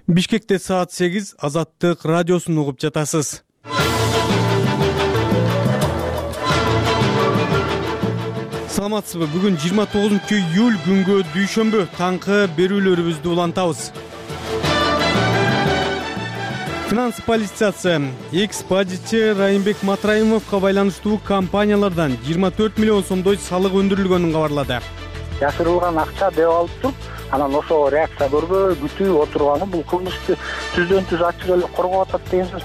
Бишкекте саат 8 Азаттык радиосун угуп жатасыз. Саламатсызбы? Бүгүн 29-июль күнгө дүйшөмбү таңкы берүүлөрүбүздү улантабыз. Финанс полициясы экс-бажычы Райымбек Матраимовго байланыштуу компаниялардан 24 миллион сомдой салык өндүрүлгөнүн кабарлады. Жашырылган акча деп алып туруп, анан ошого реакция көрбөй күтүп отурганы бул кылмышты түздөн түз ачык эле коргоп атат деген сөз.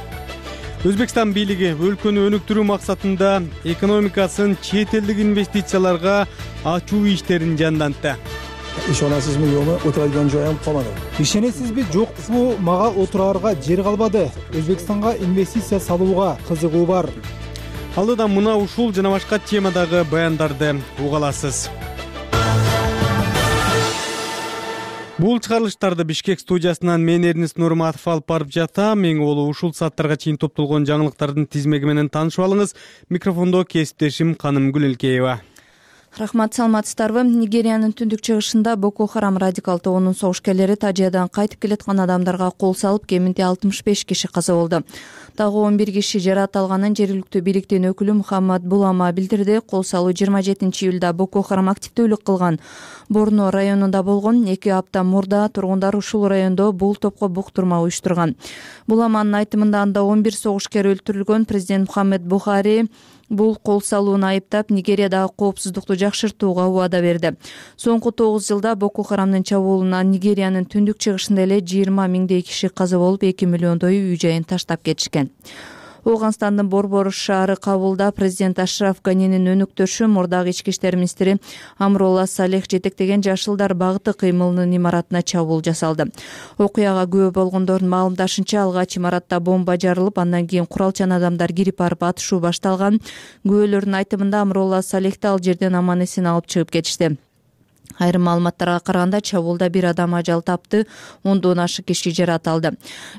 Өзбекстан бийлиги өлкөнү өнүктүрүү максатында экономикасын чет элдик инвестицияларга ачуу иштерин жандантты. Ишенесизби, жокпу? Отурган жоюм калмады. Ишенесизби, жокпу? Мага отурарга жер калбады. Өзбекстанга инвестиция салууга кызыгуу бар. Алдыда мына ушул жана башка темадагы баяндарды уга аласыз. Бул чыгарылыштарды Бишкек студиясынан мен Эрнис Нурматов алып барып жатам. Эң болу ушул сааттарга чейин топтолгон жаңылыктардын тизмеги менен таанышып алыңыз. Микрофондо кесиптешим Канымгүл Элкеева. Рахмат, саламатсыздарбы? Нигериянын түндүк чыгышында Боко Харам радикал тобунун согушкерлери Тажиядан кайтып келаткан адамдарга кол салып, кеминде 65 киши каза болду. Дагы 11 киши жаракат алганын жергиликтүү бийликтин өкүлү Мухаммад Булама билдирди. Кол салуу 27-июлда Боко Харам активдүүлүк кылган Борно районунда болгон. 2 апта мурда тургундар ушул райондо бул топко буктурма уюштурган. Буламанын айтымында анда 11 согушкер өлтүрүлгөн. Президент Мухаммед Бухари бул кол салууну айыптап, Нигериядагы коопсуздукту жакшыртууга убада берди. Соңку 9 жылда Боко Харамдын чабуулунан Нигериянын түндүк чыгышында эле 20 миңдей киши каза болуп, 2 миллиондой үй жайын таштап кетишкен. Ооганстандын Борбор шаары Кабулда президент Ашраф Ганинин өнөктөшү, мурдагы ички иштер министри Амролла Салех жетектеген Жашылдар багыты кыймылынын имаратына чабуул жасалды. Окуяга күбө болгондордун маалымдашынча, алгач имаратта бомба жарылып, андан кийин куралчан адамдар кирип барып атышуу башталган. Күбөлөрдүн айтымында Амролла Салехти ал жерден аман эсен алып чыгып кетишти. Айрым маалыматтарга караганда, чабуулда 1 адам ажал тапты, 10дон ашык киши жаракат алды.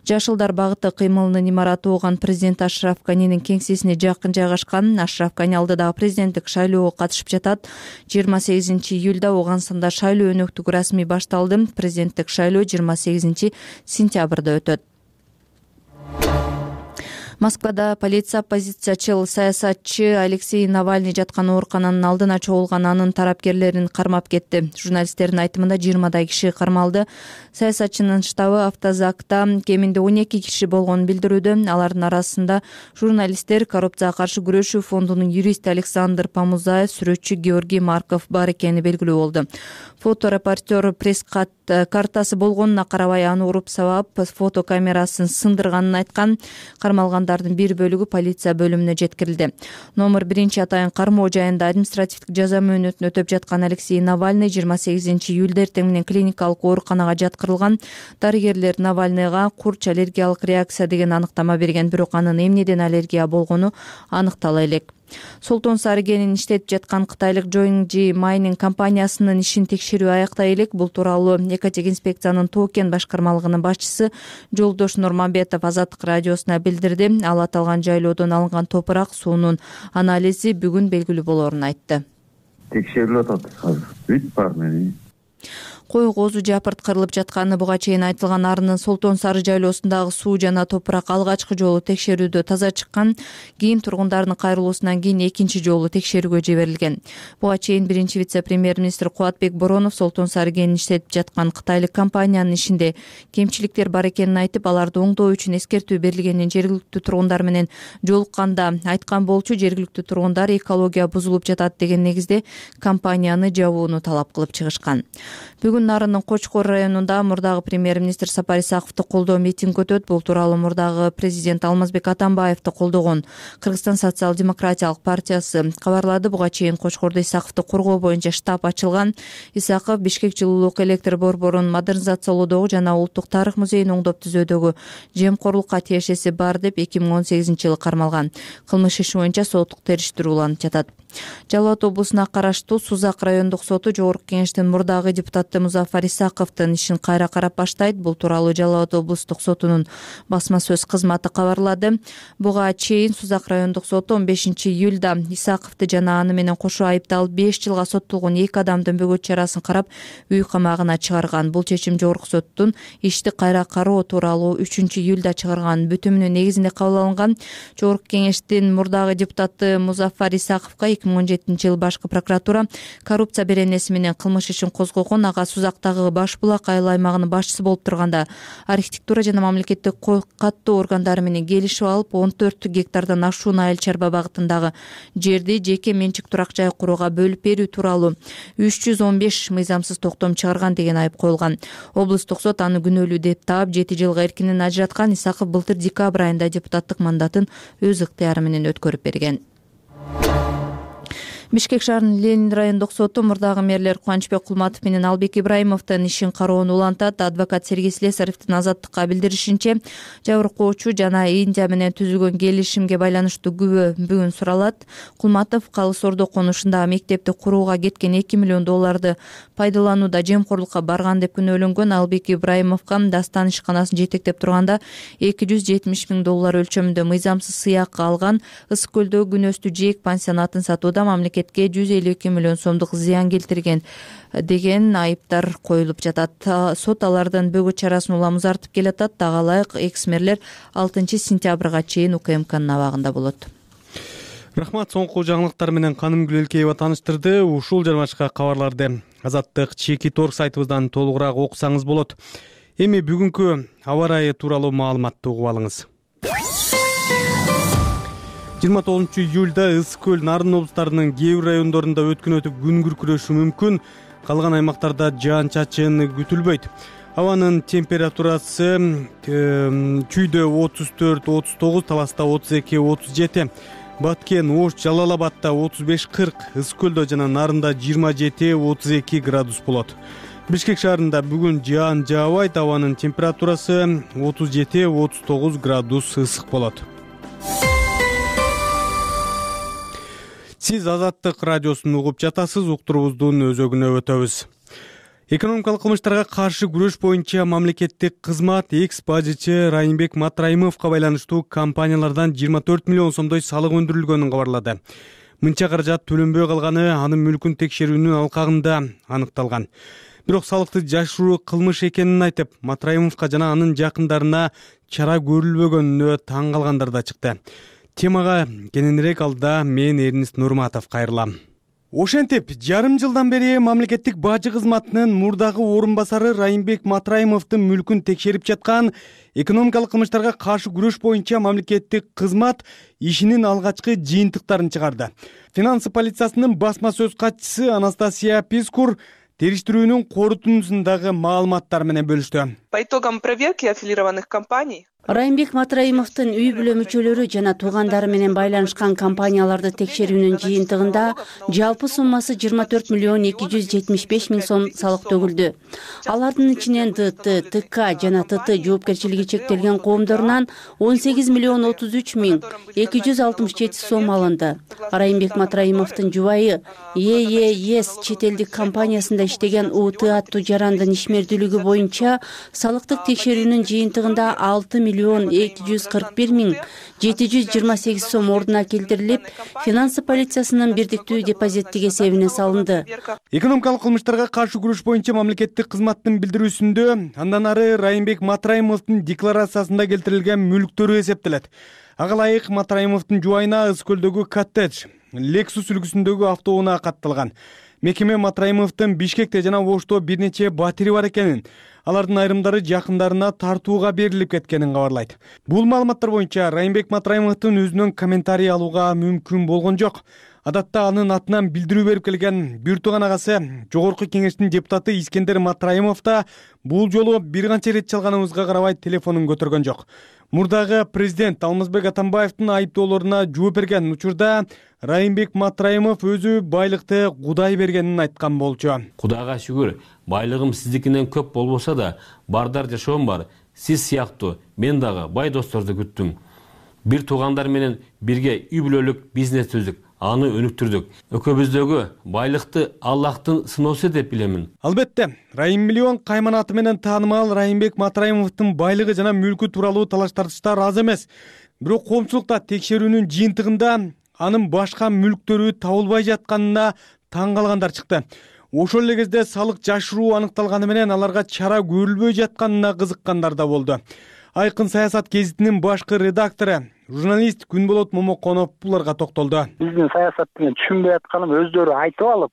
Жашылдар багыты кыймылынын имараты ооган президент Ашраф Ганинин кеңсесине жакын жайгашкан. Ашраф Гани алдыдагы президенттик шайлоого катышып жатат. 28-июлда Ооганстанда шайлоо өнөктүгү расмий башталды. Президенттик шайлоо 28-сентябрда өтөт. Москвада полиция оппозициячыл саясатчы Алексей Навальный жаткан оорукананын алдына чогулган анын тарапкерлерин кармап кетти. Журналисттердин айтымында 20дай киши кармалды. Саясатчынын штабы автозакта кеминде 12 киши болгонун билдирүүдө. Алардын арасында журналисттер, коррупцияга каршы күрөшүү фондунун юристи Александр Помузаев, сүрөтчү Георгий Марков бар экени белгилүү болду. Фоторепортер пресс-картасы болгонуна карабай, аны уруп сабап, фотокамерасын сындырганын айткан. Кармалгандардын бир бөлүгү полиция бөлүмүнө жеткирилди. Номер 1 атайын кармоо жайында административдик жаза мөөнөтүн өтөп жаткан Алексей Навальный 28-июлда эртең менен клиникалык ооруканага жаткырылган. Дарыгерлер Навальныйга курч аллергиялык реакция деген аныктама берген, бирок анын эмнеден аллергия болгону аныктала элек. Солтон Сарыгенин иштетип жаткан кытайлык Joinji Mining компаниясынын ишин текшерүү аяктай элек. Бул тууралуу Экотек инспекциянын Тоокен башкармалыгынын башчысы Жолдош Нурманбетов Азаттык радиосуна билдирди. Ал аталган жайлоодон алынган топурак суунун анализи бүгүн белгилүү болоорун айтты. Текшерилип атат азыр. Бүт бар мени. Кой коозу жапырт кырылып жатканы буга чейин айтылган. Арынын Солтон Сары жайлоосундагы суу жана топурак алгачкы жолу текшерүүдө таза чыккан. Кийин тургундардын кайрылуусунан кийин экинчи жолу текшерүүгө жиберилген. Буга чейин биринчи вице-премьер-министр Кубатбек Боронов Солтон Сарыгенин иштетип жаткан кытайлык компаниянын ишинде кемчиликтер бар экенин айтып, аларды оңдоо үчүн эскертүү берилгенин жергиликтүү тургундар менен жолукканда айткан болчу. Жергиликтүү тургундар экология бузулуп жатат деген негизде компанияны жабууну талап кылып чыгышкан. Бүгүн Нарынын Кочкор районунда мурдагы премьер-министр Сапар Исаковду колдоо митинг өтөт. Бул тууралуу мурдагы президент Алмазбек Атамбаевди колдогон Кыргызстан социал-демократиялык партиясы кабарлады. Буга чейин Кочкордо Исаковду коргоо боюнча штаб ачылган. Исаков Бишкек жылуулук электр борборун модернизациялоодогу жана Улуттук тарых музейин оңдоп түзүүдөгү жемкорлукка тиешеси бар деп 2018-жылы кармалган. Кылмыш иши боюнча соттук териштирүү уланып жатат. Жалал абад облусуна караштуу Сузак райондук соту Жогорку Кеңештин мурдагы депутаты Музафар Исаковдун ишин кайра карап баштайт. Бул тууралуу Жалал Абад облустук сотунун басма сөз кызматы кабарлады. Буга чейин Сузак райондук соту 15-июлда Исаковду жана аны менен кошо айыпталып 5 жылга соттолгон 2 адамдын бөгөт чарасын карап үй камагына чыгарган. Бул чечим жогорку соттун ишти кайра кароо тууралуу 3-июлда чыгарган бүтүмүнүн негизинде кабыл алынган. Жогорку кеңештин мурдагы депутаты Музафар Исаковго 2017-жылы башкы прокуратура коррупция беренеси менен кылмыш ишин козгогон. Ага Сузактагы Баш Булак айыл аймагынын башчысы болуп турганда архитектура жана мамлекеттик каттоо органдары менен келишип алып 14 гектардан ашуун айыл чарба багытындагы жерди жеке менчик турак жай курууга бөлүп берүү тууралуу 315 мыйзамсыз токтом чыгарган деген айып коюлган. Облустук сот аны күнөөлүү деп таап 7 жылга эркинен ажыраткан. Исаков былтыр декабрь айында депутаттык мандатын өз ыктыяры менен өткөрүп берген. Бишкек шаарынын Ленин райондук соту мурдагы мэрлер Кубанычбек Кулматов менен Албек Ибраимовдун ишин кароону улантат. Адвокат Сергей Слесаревдин азаттыкка билдиришинче, жабыркоочу жана Индия менен түзүлгөн келишимге байланыштуу күбө бүгүн суралат. Кулматов Калыс Ордо конушундагы мектепти курууга кеткен $2 миллион пайдаланууда жемкорлукка барган деп күнөөлөнгөн. Албек Ибраимовго Дастан ишканасын жетектеп турганда $270 миң өлчөмүндө мыйзамсыз сыяк алган. Ысык көлдөгү күнөстүү жээк пансионатын сатууда мамлекетке $152 миллион сомдук зыян келтирген деген айыптар коюлуп жатат. Сот алардын бөгөт чарасын улам узартып келатат. Дагалайык экс-мэрлер 6 сентябрга чейин УКМКнын абагында болот. Рахмат, соңку жаңылыктар менен Каным Гүлелкеева тааныштырды. Ушул жана башка кабарларды Азаттык Чеки Торг сайтыбыздан толугураак окусаңыз болот. Эми бүгүнкү аба ырайы тууралуу маалыматты угуп алыңыз. 29-июлда Ысык көл, Нарын облустарынын кээ бир райондорунда өткөн өтүп күн күркүрөшү мүмкүн. Калган аймактарда жаан-чачын күтүлбөйт. Абанын температурасы Чүйдө 34-39, Таласта 32-37, Баткен, Ош, Жалал Абадта 35-40, Ысык көлдө жана Нарында 27-32 градус болот. Бишкек шаарында бүгүн жаан жаабайт. Абанын температурасы 37-39 градус ысык болот. Сиз Азаттык радиосун угуп жатасыз. Уктуруубуздун өзөгүнө өтөбүз. Экономикалык кылмыштарга каршы күрөш боюнча мамлекеттик кызмат экс-бажычы Райымбек Матраимовго байланыштуу компаниялардан 24 миллион сомдой салык өндүрүлгөнүн кабарлады. Мынча каражат төлөнбөй калганы анын мүлкүн текшерүүнүн алкагында аныкталган. Бирок салыкты жашыруу кылмыш экенин айтып, Матраимовго жана анын жакындарына чара көрүлбөгөнүнө таң калгандар да чыкты. Темага кененирээк алда мен Эрнис Нурматов кайрылам. Ошентип, жарым жылдан бери мамлекеттик бажы кызматынын мурдагы орун басары Райымбек Матраимовдун мүлкүн текшерип жаткан экономикалык кылмыштарга каршы күрөш боюнча мамлекеттик кызмат ишинин алгачкы жыйынтыктарын чыгарды. Финансы полициясынын басма сөз катчысы Анастасия Пискур териштирүүнүн корутундусундагы маалыматтар менен бөлүштү. По итогам проверки аффилированных компаний Райымбек Матраимовдун үй бүлө мүчөлөрү жана туугандары менен байланышкан компанияларды текшерүүнүн жыйынтыгында жалпы суммасы 24 миллион 275 миң сом салык төгүлдү. Алардын ичинен ДТ, ТК жана ТТ жоопкерчилиги чектелген коомдорунан 18 миллион 33 миң 267 сом алынды. Райымбек Матраимовдун жубайы ЕЕС чет элдик компаниясында иштеген УТ аттуу жарандын ишмердүүлүгү боюнча салыктык текшерүүнүн жыйынтыгында 6 миллион 241 миң 728 сом ордуна келтирилип, финансы полициясынын бирдиктүү депозиттик эсебине салынды. Экономикалык кылмыштарга каршы күрөш боюнча мамлекеттик кызматтын билдирүүсүндө андан ары Райымбек Матраимовдун декларациясында келтирилген мүлктөрү эсептелет. Ага ылайык Матраимовдун жубайына Ысык көлдөгү коттедж, Lexus үлгүсүндөгү автоунаа катталган. Мекеме Матраимовдун Бишкекте жана Ошто бир нече батири бар экенин, алардын айрымдары жакындарына тартууга берилип кеткенин кабарлайт. Бул маалыматтар боюнча Райымбек Матраимовдун өзүнөн комментарий алууга мүмкүн болгон жок. Адатта анын атынан билдирүү берип келген бир тууган агасы Жогорку кеңештин депутаты Искендер Матраимов да бул жолу бир канча ирет чалганыбызга карабай телефонун көтөргөн жок. Мурдагы президент Алмазбек Атамбаевдин айыптоолоруна жооп берген учурда Райымбек Матраимов өзү байлыкты Кудай бергенин айткан болчу. Кудайга шүгүр, байлыгым сиздикинен көп болбосо да, бардар жашоом бар. Сиз сыяктуу мен дагы бай досторду күттүм. Бир туугандар менен бирге үй бүлөлүк бизнес түздүк. аны өнүктүрдүк. Экөөбүздөгү байлыкты Аллахтын сыноосу деп билемин. Албетте, Райым Миллион кайманаты менен таанымал Райымбек Матраимовдун байлыгы жана мүлкү тууралуу талаш-тартыштар аз эмес. Бирок коомчулукта текшерүүнүн жыйынтыгында анын башка мүлктөрү табылбай жатканына таң калгандар чыкты. Ошол эле кезде салык жашыруу аныкталганы менен аларга чара көрүлбөй жатканына кызыккандар да болду. Айкын саясат гезитинин башкы редактору, журналист Күнболот Момоконов буларга токтолду. Биздин саясатты түшүнбөй атканым өздөрү айтып алып,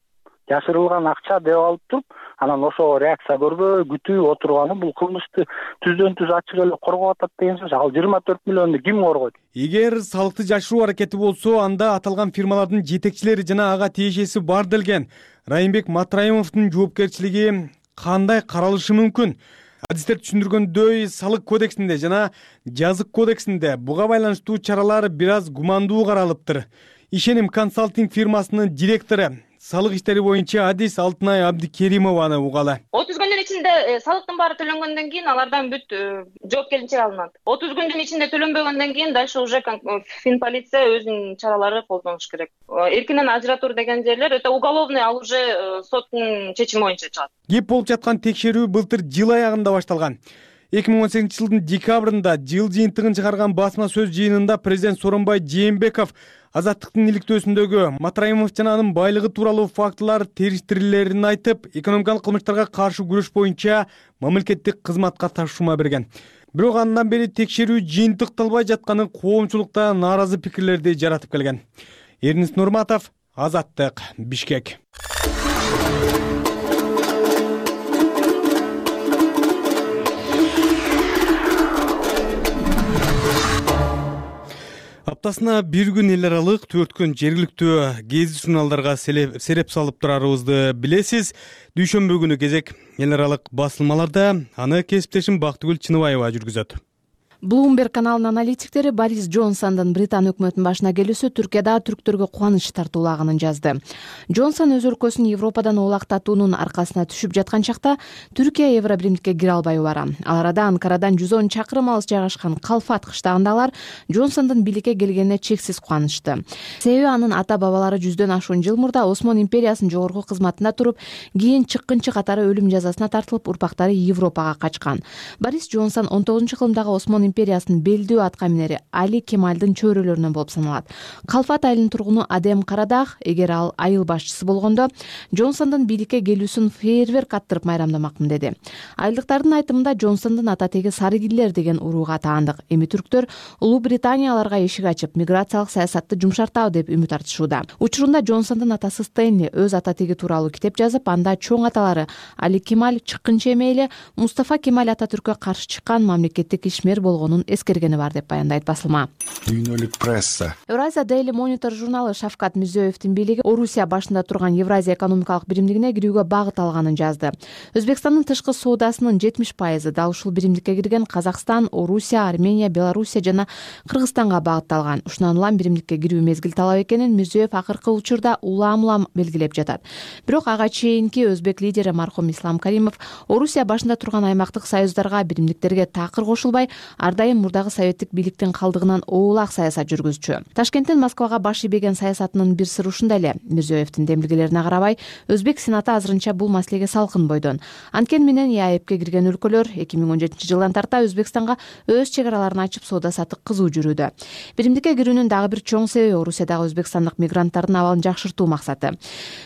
жашырылган акча деп алып туруп, анан ошого реакция көрбөй күтүп отурганы бул кылмышты түздөн түз ачык эле коргоп атат деген сөз. Ал 24 миллионду ким коргойт? Эгер салыкты жашыруу аракети болсо, анда аталган фирмалардын жетекчилери жана ага тиешеси бар делген Райымбек Матраимовдун жоопкерчилиги кандай каралышы мүмкүн? Адистер түшүндүргөндөй, салык кодексинде жана жазык кодексинде буга байланыштуу чаралар бир аз гумандуу каралыптыр. Ишеним консалтинг фирмасынын директору, салык иштери боюнча адис Алтынай Абдикеримованы угалы. 30 күндүн ичинде салыктын баары төлөнгөндөн кийин алардан бүт жоопкерчилик алынат. 30 күндүн ичинде төлөнбөгөндөн кийин дальше уже финполиция өзүнүн чаралары колдонуш керек. Эркинен ажыратуур деген жерлер өтө уголовный, ал уже соттун чечими боюнча чыгат. Кеп болуп жаткан текшерүү былтыр жыл аягында башталган. 2018-жылдын декабрында жыл жыйынтыгын чыгарган басма сөз жыйынында президент Сооронбай Жээнбеков Азаттыктын иликтөөсүндөгү Матраимов жана анын байлыгы тууралуу фактылар териштирилерин айтып, экономикалык кылмыштарга каршы күрөш боюнча мамлекеттик кызматка тапшырма берген. Бирок андан бери текшерүү жыйынтыкталбай жатканы коомчулукта нааразы пикирлерди жаратып келген. Эрнис Нурматов, Азаттык, Бишкек. Аптасына бир күн эл аралык, 4 күн жергиликтүү гезит журналдарга сереп салып турарыбызды билесиз. Дүйшөмбү күнү кезек эл аралык басылмаларда, аны кесиптешим Бактыгүл Чыныбаева жүргүзөт. Bloomberg каналынын аналитиктери Борис Джонсондун Британ өкмөтүнүн башына келүүсү Түркияда түрктөргө кубаныч тартуулаганын жазды. Джонсон өз өлкөсүн Европадан оолактатуунун аркасына түшүп жаткан чакта Түркия Евробиримдикке кире албай бара. Ал арада Анкарадан 110 чакырым алыс жайгашкан Калфат кыштагында алар Джонсондун бийликке келгенине чексиз кубанычты. Себеби анын ата-бабалары 100дөн ашуун жыл мурда Осмон империясынын жогорку кызматында туруп, кийин чыккынчы катары өлүм жазасына тартылып, урпактары Европага качкан. Борис Джонсон 19-кылымдагы Осмон империясынын белдүү аткаминери Али Кемальдын чөйрөлөрүнөн болуп саналат. Калфат айылынын тургуну Адем Карадах, эгер ал айыл башчысы болгондо, Джонсондун бийликке келүүсүн фейерверк аттырып майрамдамакмын деди. Айылдыктардын айтымында Джонсондун ата теги Сарыгиллер деген урууга таандык. Эми түрктөр Улуу Британия аларга эшик ачып, миграциялык саясатты жумшартабы деп үмүт артышууда. Учурунда Джонсондун атасы Стэнли өз ата теги тууралуу китеп жазып, анда чоң аталары Али Кемаль чыккынча эмейли Мустафа Кемаль Ататүрккө каршы чыккан мамлекеттик ишмер болгонун эскергени бар деп баяндайт басылма. Дүйнөлүк пресса. Евразия Daily Monitor журналы Шавкат Мирзиёевдин бийлиги Орусия башында турган Евразия экономикалык биримдигине кирүүгө багыт алганын жазды. Өзбекстандын тышкы соодасынын 70% дал ушул биримдикке кирген Казакстан, Орусия, Армения, Белоруссия жана Кыргызстанга багытталган. Ушунан улам биримдикке кирүү мезгил талап экенин Мирзиёев акыркы учурда улам белгилеп жатат. Бирок ага чейинки өзбек лидери мархум Ислам Каримов Орусия башында турган аймактык союздарга, биримдиктерге такыр кошулбай, ар дайым мурдагы советтик бийликтин калдыгынан оолак саясат жүргүзчү. Ташкенттен Москвага баш ийбеген саясатынын бир сыры ушунда эле. Мирзиёевдин демилгелерине карабай, өзбек сенаты азырынча бул маселеге салкын бойдон. Анткени менен ЕАЭПке кирген өлкөлөр 2017-жылдан тарта Өзбекстанга өз чек араларын ачып, соода саттык кызуу жүрүүдө. Биримдикке кирүүнүн дагы бир чоң себеби Орусиядагы өзбекстандык мигранттардын абалын жакшыртуу максаты.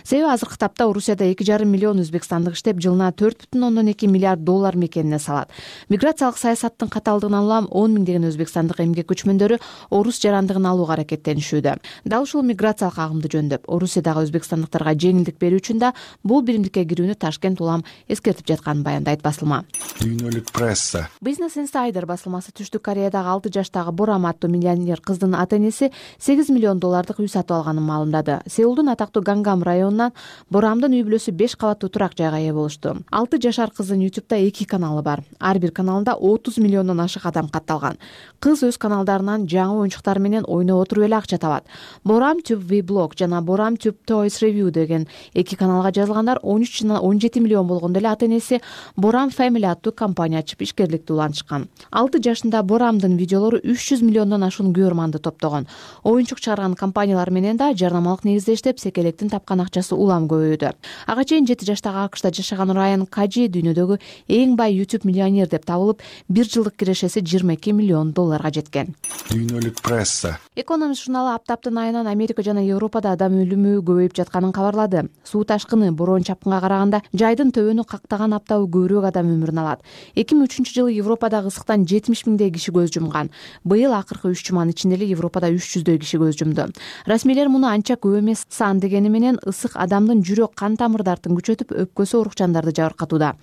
Себеби азыркы тапта Орусияда 2,5 миллион өзбекстандык иштеп, жылына 4,2 миллиард доллар мекенине салат. Миграциялык саясаттын катаалдыгынан улам 10 миңдеген өзбекстандык эмгек көчмөндөрү орус жарандыгын алууга аракеттенишүүдө. Дал ушул миграциялык агымды жөндөп, Орусиядагы өзбекстандыктарга жеңилдик берүү үчүн да бул биримдикке кирүүнү Ташкент улам эскертип жатканын баяндайт басылма. Дүйнөлүк пресса. Business Insider басылмасы Түштүк Кореядагы 6 жаштагы Борам аттуу миллионер кыздын ата-энеси 8 миллион доллардык үй сатып алганын маалымдады. Сеулдун атактуу Гангам районунан Борамдын үй бүлөсү 5 кабаттуу турак жайга ээ болушту. 6 жашар кыздын YouTube'да 2 каналы бар. Ар бир каналында 30 миллиондон ашык адам астам катталган. Кыз өз каналдарынан жаңы оюнчуктар менен ойноп отуруп эле акча табат. Борам Tube Vlog жана Борам Tube Toys Review деген эки каналга жазылгандар 13 жана 17 миллион болгондо эле ата-энеси Борам Family аттуу компания ачып ишкерликти улантышкан. 6 жашында Борамдын видеолору 300 миллиондон ашуун көрөрманды топтогон. Оюнчук чыгарган компаниялар менен да жарнамалык негизде иштеп, секелектин тапкан акчасы улам көбөйдү. Ага чейин 7 жаштагы АКШда жашаган Райан Кажи дүйнөдөгү эң бай YouTube миллионер деп табылып, 1 жылдык кирешеси $22 миллион жеткен. Дүйнөлүк пресса. Экономист журналы аптаптын айынан Америка жана Европада адам өлүмү көбөйүп жатканын кабарлады. Суу ташкыны, бороон чапкынга караганда жайдын төбөнү кактаган аптабы көбүрөөк адам өмүрүн алат. 2003-жылы Европадагы ысыктан 70 миңдей киши көз жумган. Быйыл акыркы 3 жуманын ичинде эле Европада 300дөй киши көз жумду. Расмийлер муну анча көп эмес сан дегени менен ысык адамдын жүрөк кан тамырдарын күчөтүп, өпкөсү оорукчандарды жабыркатууда.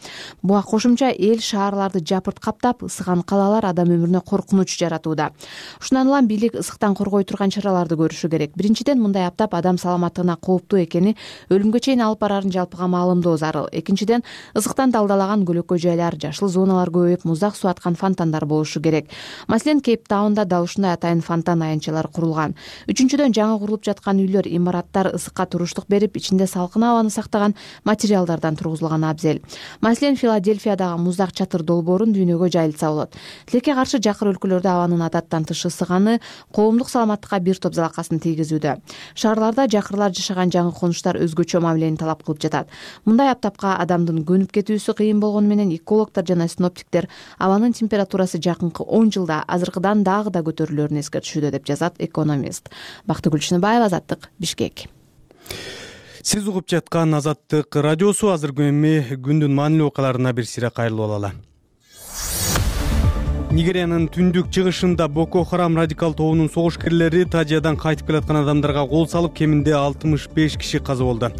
Буга кошумча эл шаарларды жапырт каптап, ысыган калалар адам өмүрүнө коркунуч жаратууда. Ушундан улам бийлик ысыктан коргой турган чараларды көрүшү керек. Биринчиден, мындай аптап адам саламаттыгына кооптуу экени, өлүмгө чейин алып барарын жалпыга маалымдоо зарыл. Экинчиден, ысыктан далдалаган көлөкө жайлар, жашыл зоналар көбөйүп, муздак суу аткан фонтандар болушу керек. Маселен, Кейптаунда дал ушундай атайын фонтан аянтчалар курулган. Үчүнчүдөн, жаңы курулуп жаткан үйлөр, имараттар ысыкка туруштук берип, ичинде салкын абаны сактаган материалдардан тургузулган абзел. Маселен, Филадельфиядагы муздак чатыр долбоорун дүйнөгө жайылтса болот. Тилекке каршы жакыр өлкөлөрдө абанын адаттан тыш ысыганы коомдук саламаттыкка бир топ залакасын тийгизүүдө. Шаарларда жакырлар жашаган жаңы конуштар өзгөчө мамилени талап кылып жатат. Мындай аптапка адамдын көнүп кетүүсү кыйын болгону менен экологдор жана синоптиктер абанын температурасы жакынкы 10 жылда азыркыдан дагы да көтөрүлөрүн эскертишүүдө деп жазат Экономист. Бактыгүл Чыныбаева, Азаттык, Бишкек. Сиз угуп жаткан Азаттык радиосу. Азыркы эми күндүн маанилүү окуяларына бир сире кайрылып алалы. Нигериянын түндүк чыгышында Боко Харам радикал тобунун согушкерлери Тажиядан кайтып келаткан адамдарга кол салып, кеминде 65 киши каза болду.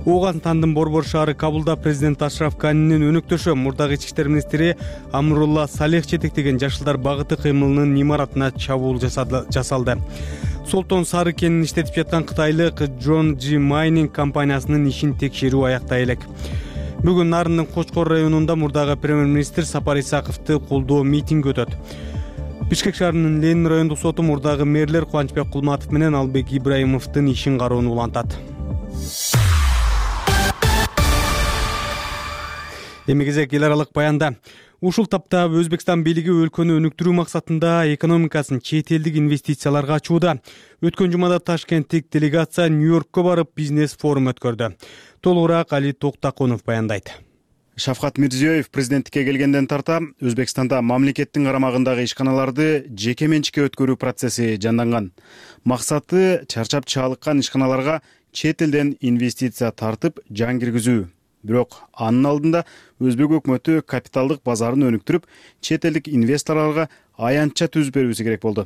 Ооганстандын Борбор шаары Кабулда президент Ашраф Ганинин өнөктөшү, мурдагы ички иштер министри Амрулла Салех жетектеген Жашылдар багыты кыймылынын имаратына чабуул жасалды. Солтон сары кенин иштетип жаткан кытайлык John G. Mining компаниясынын ишин текшерүү аяктай элек. Бүгүн Нарындын Кочкор районунда мурдагы премьер-министр Сапар Исаковду колдоо митинг өтөт. Бишкек шаарынын Ленин райондук соту мурдагы мэрлер Кубанычбек Кулматов менен Албек Ибраимовдун ишин кароону улантат. Эми кезек эл аралык баянда. Ушул тапта Өзбекстан бийлиги өлкөнү өнүктүрүү максатында экономикасын чет элдик инвестицияларга ачууда. Өткөн жумада Ташкенттик делегация Нью-Йоркко барып бизнес форум өткөрдү. Толугураак Али Токтакунов баяндайт. Шавкат Мирзиёев президенттикке келгенден тарта Өзбекстанда мамлекеттин карамагындагы ишканаларды жеке менчикке өткөрүү процесси жанданган. Максаты чарчап чалыккан ишканаларга чет элден инвестиция тартып жан киргизүү. Бирок анын алдында Өзбек өкмөтү капиталдык базарын өнүктүрүп, чет элдик инвесторлорго аянтча түзүп берүүсү керек болду.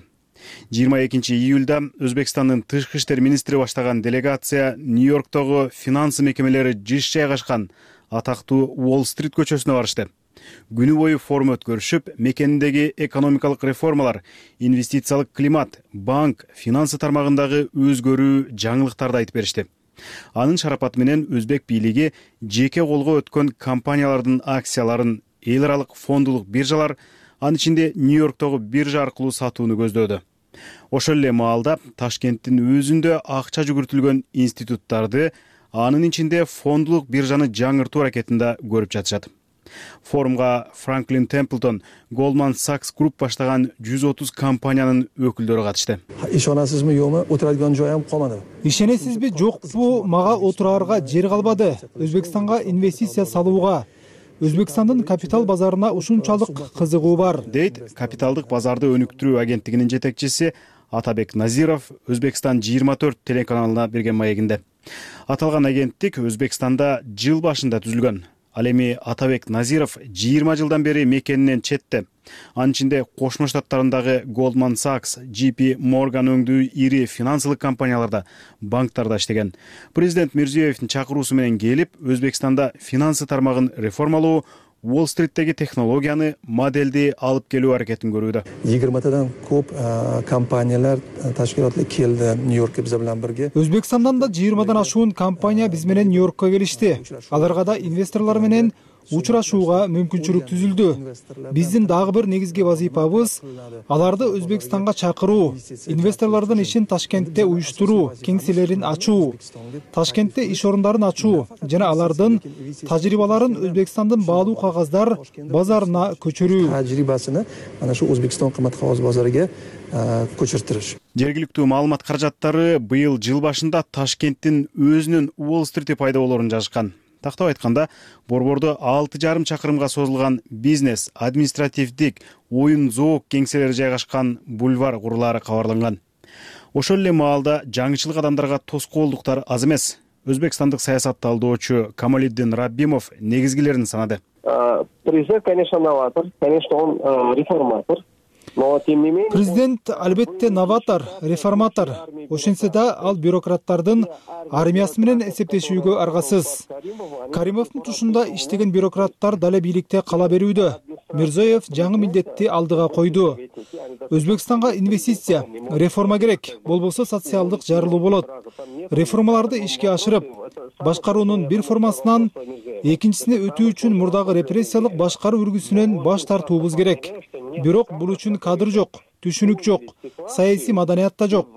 22 июлда Өзбекстандын тышкы иштер министри баштаган делегация Нью-Йорктогу финансы мекемелери жыш жайгашкан атактуу Уолл-стрит көчөсүнө барышты. Күнү бою форум өткөрүшүп, мекендеги экономикалык реформалар, инвестициялык климат, банк, финансы тармагындагы өзгөрүү жаңылыктарды айтып беришти. Анын шарапаты менен Өзбек бийлиги жеке колго өткөн компаниялардын акцияларын эл аралык фондулук биржалар, анын ичинде Нью-Йорктогу биржа аркылуу сатууну көздөөдү. Ошол эле маалда Ташкенттин өзүндө акча жүгүртүлгөн институттарды, анын ичинде фондулук биржаны жаңыртуу аракетинде көрүп жатышат. Форумга Franklin Templeton, Goldman Sachs Group баштаган 130 компаниянын өкүлдөрү катышты. Ишонасызбы, жокпу? Отурadigan joyim qolmadi. Ишенесизби, жокпу? Мага отураарга жер калбады. Өзбекстанга инвестиция салууга, Өзбекстандын капитал базарына ушунчалык кызыгуу бар, дейт капиталдык базарды өнүктүрүү агенттигинин жетекчиси Атабек Назиров Өзбекстан 24 телеканалына берген маегинде. Аталган агенттик Өзбекстанда жыл башында түзүлгөн. Ал эми Атабек Назиров 20 жылдан бери мекенинен четте. Анын ичинде Кошмо Штаттарындагы Goldman Sachs, JP Morgan өңдүү ири финансылык компанияларда, банктарда иштеген. Президент Мирзиёевдин чакыруусу менен келип, Өзбекстанда финансы тармагын реформалоо, Уолл-стриттеги технологияны, моделди алып келүү аракетин көрүүдө. 20тадан көп компаниялар, ташкилатлар келди Нью-Йоркко биз менен бирге. Өзбекстандан да 20дан ашуун компания биз менен Нью-Йоркко келишти. Аларга да инвесторлор менен учурашууга мүмкүнчүлүк түзүлдү. Биздин дагы бир негизги вазыйфабыз аларды Өзбекстанга чакыруу, инвесторлордун ишин Ташкентте уюштуруу, кеңселерин ачуу, Ташкентте иш орундарын ачуу жана алардын тажрыйбаларын Өзбекстандын баалуу кагаздар базарына көчүрүү. Тажрыйбасыны ana shu O'zbekiston qimmat qog'oz bozoriga ko'chirtirish. Жергиликтүү маалымат каражаттары быйыл жыл башында Ташкенттин өзүнүн Уолл-стрити пайда болоорун жазышкан. Тактап айтканда, борбордо 6,5 чакырымга созулган бизнес, административдик, оюн-зоок кеңселери жайгашкан бульвар курулаары кабарланган. Ошол эле маалда жаңычылык адамдарга тоскоолдуктар аз эмес. Өзбекстандык саясат талдоочу Камалиддин Раббимов негизгилерин санады. Президент, конечно, новатор, конечно, он реформатор. Президент албетте новатор, реформатор. Ошентсе да ал бюрократтардын армиясы менен эсептешүүгө аргасыз. Каримовдун тушунда иштеген бюрократтар дале бийликте кала берүүдө. Мирзиёев жаңы милдетти алдыга койду. Өзбекстанга инвестиция, реформа керек. Болбосо социалдык жарылуу болот. Реформаларды ишке ашырып, башкаруунун бир формасынан экинчисине өтүү үчүн мурдагы репрессиялык башкаруу үргүсүнөн баш тартуубуз керек. Бирок бул үчүн кадр жок, түшүнүк жок, саясий маданият да жок.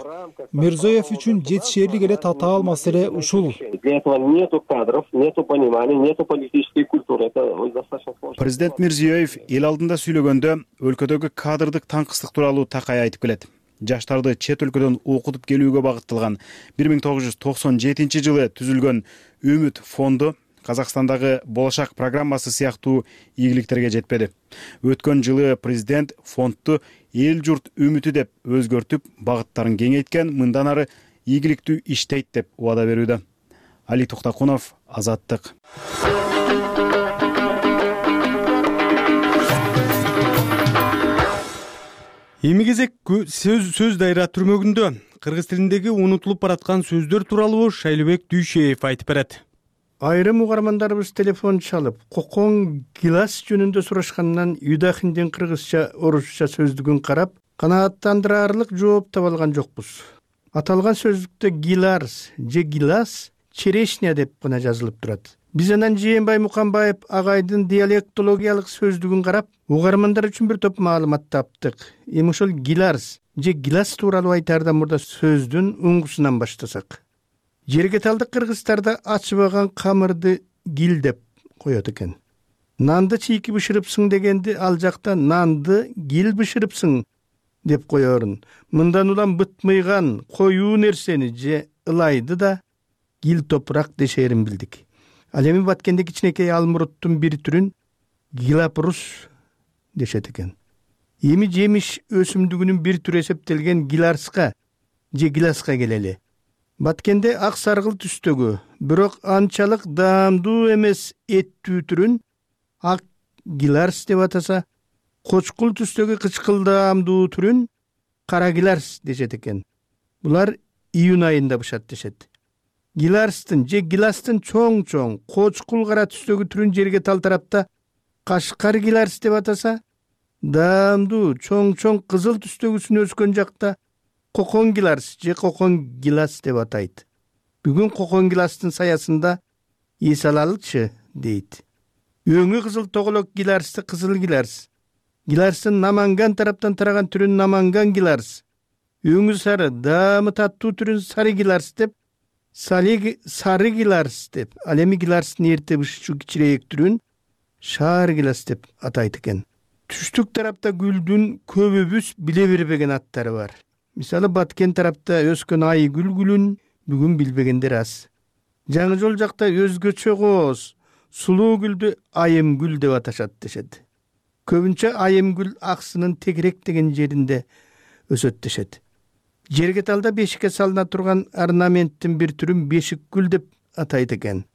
Мирзиёев үчүн жетишээрлик эле татаал маселе ушул. Для этого нету кадров, нету понимания, нету политической культуры. Это достаточно сложно. Президент Мирзиёев эл алдында сүйлөгөндө өлкөдөгү кадрдык таңкыстык тууралуу такай айтып келет. Жаштарды чет өлкөдөн окутуп келүүгө багытталган 1997 жылы түзүлгөн Үмүт фонду Казакстандагы Болошак программасы сыяктуу ийгиликтерге жетпеди. Өткөн жылы президент фондду эл журт үмүтү деп өзгөртүп, багыттарын кеңейткен, мындан ары ийгиликтүү иштейт деп убада берүүдө. Али Токтакунов, Азаттык. Эми кезек сөз дайра түрмөгүндө кыргыз тилиндеги унутулуп бараткан сөздөр тууралуу Шайлыбек Дүйшеев айтып берет. Айрым угармандарыбыз телефон чалып, кокон гилас жөнүндө сурашкандан Юдахиндин кыргызча, орусча сөздүгүн карап, канааттандырарлык жооп таба алган жокпуз. Аталган сөздүктө гиларс же гилас черешня деп гана жазылып турат. Биз анан Жээнбай Муканбаев агайдын диалектологиялык сөздүгүн карап, угармандар үчүн бир топ маалымат таптык. Эми ошол гиларс же гилас тууралуу айтаардан мурда сөздүн уңгусунан баштасак. Жергеталдык кыргыздарда ачыбаган камырды гил деп коет экен. Нанды чийки бышырыпсың дегенди ал жакта нанды гил бышырыпсың деп коерун. Мындан улам бытмыйган коюу нерсени же ылайды да гил топурак дешерин билдик. Ал эми Баткенде кичинекей алмуруттун бир түрүн гилапрус дешет экен. Эми жемиш өсүмдүгүнүн бир түрү эсептелген гиларска же гиласка келели. Баткенде ак саргыл түстөгү, бирок анчалык даамдуу эмес эттүү түрүн ак гиларс деп атаса, кочкул түстөгү кычкылдаамдуу түрүн кара гиларс дешет экен. Булар июнь айында бышат дешет. Гиларстын же гиластын чоң-чоң, кочкул кара түстөгү түрүн жерге тал тарапта кашкар гиларс деп атаса, даамдуу чоң-чоң кызыл түстөгүсүн өскөн жакта кокон гиларс же кокон гилас деп атайт. Бүгүн кокон гиластын саясында эс алалычы дейт. Өңү кызыл тоголок гиларсты кызыл гиларс. Гиларстын наманган тараптан тараган түрүн наманган гиларс. Өңү сары, даамы таттуу түрүн сары гиларс деп, сары гиларс деп, ал эми гиларстын эрте бышчу кичирээк түрүн шаар гилас деп атайт экен. Түштүк тарапта гүлдүн көбүбүз биле бербеген аттары бар. Мисалы Баткен тарапта өскөн айгүл гүлүн бүгүн билбегендер аз. Жаңы жол жакта өзгөчө кооз, сулуу гүлдү айымгүл деп аташат дешет. Көбүнчө айымгүл аксынын тегерек деген жеринде өсөт дешет. Жергеталда бешикке салына турган орнаменттин бир түрүн бешик гүл деп атайт экен.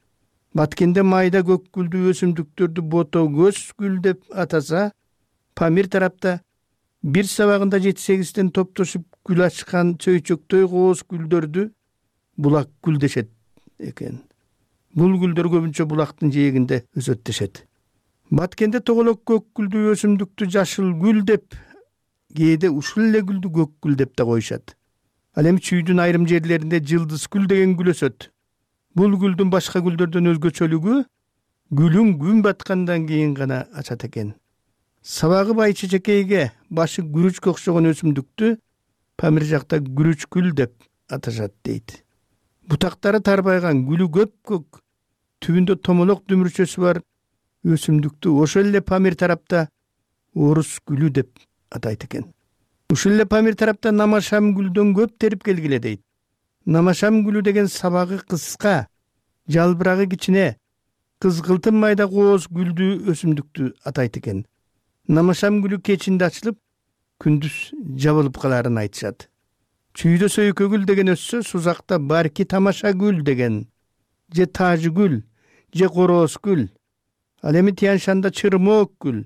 Баткенде майда көк гүлдүү өсүмдүктөрдү бото көз гүл деп атаса, Памир тарапта бир сабагында 7-8тен топтошуп гүл ачкан чөйчөктөй кооз гүлдөрдү булак гүл дешет экен. Бул гүлдөр көбүнчө булактын жээгинде өсөт дешет. Баткенде тоголок көк гүлдүү өсүмдүктү жашыл гүл деп, кээде ушул эле гүлдү көк гүл деп да коюшат. Ал эми чүйдүн айрым жерлеринде жылдыз гүл деген гүл өсөт. Бул гүлдүн башка гүлдөрдөн өзгөчөлүгү гүлүн күн баткандан кийин гана ачат экен. Сабагы бай чечекейге башы күрүчкө окшогон өсүмдүктү Памир жакта күрүчкүл деп аташат дейт. Бутактары тарбайган, гүлү көк, түбүндө томолок дүмүрчөсү бар өсүмдүктү ошол эле Памир тарапта орус гүлү деп атайт экен. Ушул эле Памир тарапта намашам гүлдөн көп терип келгиле дейт. Намашам гүлү деген сабагы кыска, жалбырагы кичине, кызгылтым майда кооз гүлдүү өсүмдүктү атайт экен. Намашам гүлү кечинде ачылып, күндүз жабылып каларын айтышат. Чүйдө сөйкө гүл деген өссө, сузакта барки тамаша гүл деген, же тажы гүл, же короос гүл. Ал эми Тянь-Шанда чырмоок гүл,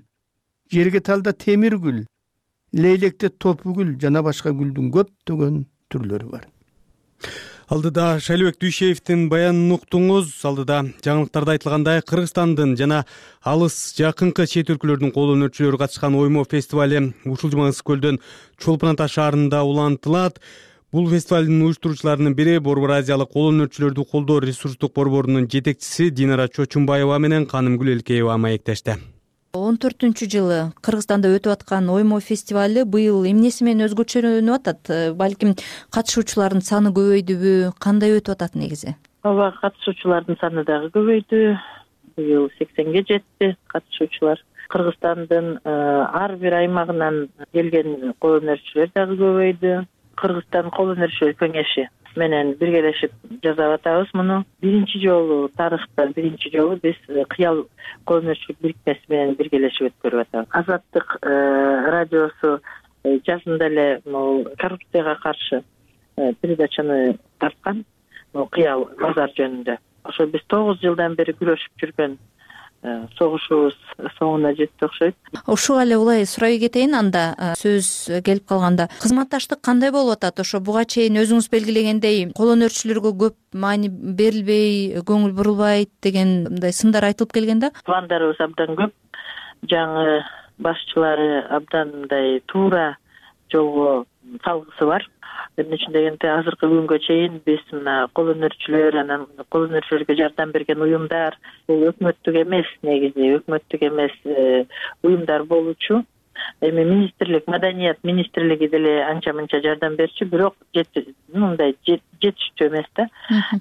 Жергеталда темир гүл, Лейлекте топу гүл жана башка гүлдүн көптөгөн түрлөрү бар. Алдыда Шайлыбек Дүйшеевдин баянын уктуңуз. Алдыда жаңылыктарда айтылгандай, Кыргызстандын жана алыс жакынкы чет өлкөлөрдүн кол өнөрчүлөрү катышкан оймо фестивали ушул жума Ысык көлдөн Чолпон Ата шаарында улантылат. Бул фестивалдын уюштуруучуларынын бири Борбор Азиялык кол өнөрчүлөрдү колдоо ресурстук борборунун жетекчиси Динара Чочумбаева менен Канымгүл Элкеева маектешти. 14-жылы Кыргызстанда өтүп аткан оймо фестивали быйыл эмнеси менен өзгөчөлөнүп атат? Балким катышуучулардын саны көбөйдүбү? Кандай өтүп атат негизи? Ооба, катышуучулардын саны дагы көбөйдү. Быйыл 80ге жетти катышуучулар. Кыргызстандын ар бир аймагынан келген кол өнөрчүлөр дагы көбөйдү. Кыргызстан кол өнөрчүлөр кеңеши менен биргелешип жасап атабыз муну. Биринчи жолу тарыхта биз Кыял кол өнөрчүлүк бирикмеси менен биргелешип өткөрүп атабыз. Азаттык радиосу жазында эле коррупцияга каршы передачаны тарткан, Кыял базар жөнүндө. Ошо биз 9 жылдан бери күрөшүп жүргөн согушубуз соңуна жетти окшойт. Ушуга эле улай сурай кетейин анда, сөз келип калганда. Кызматташтык кандай болуп атат? Ошо буга чейин өзүңүз белгилегендей, кол өнөрчүлөргө көп маани берилбей, көңүл бурулбайт деген мындай сындар айтылып келген да? Пландарыбыз абдан көп. Жаңы башчылары абдан мындай туура жолго салгысы бар. Эмне үчүн дегенде, азыркы күнгө чейин биз мына кол өнөрчүлөр, анан кол өнөрчүлөргө жардам берген уюмдар, бул өкмөттүк эмес, негизи өкмөттүк эмес уюмдар болчу. Эми министрлик, маданият министрлиги деле анча-мынча жардам берчү, бирок мындай жетиштүү эмес да.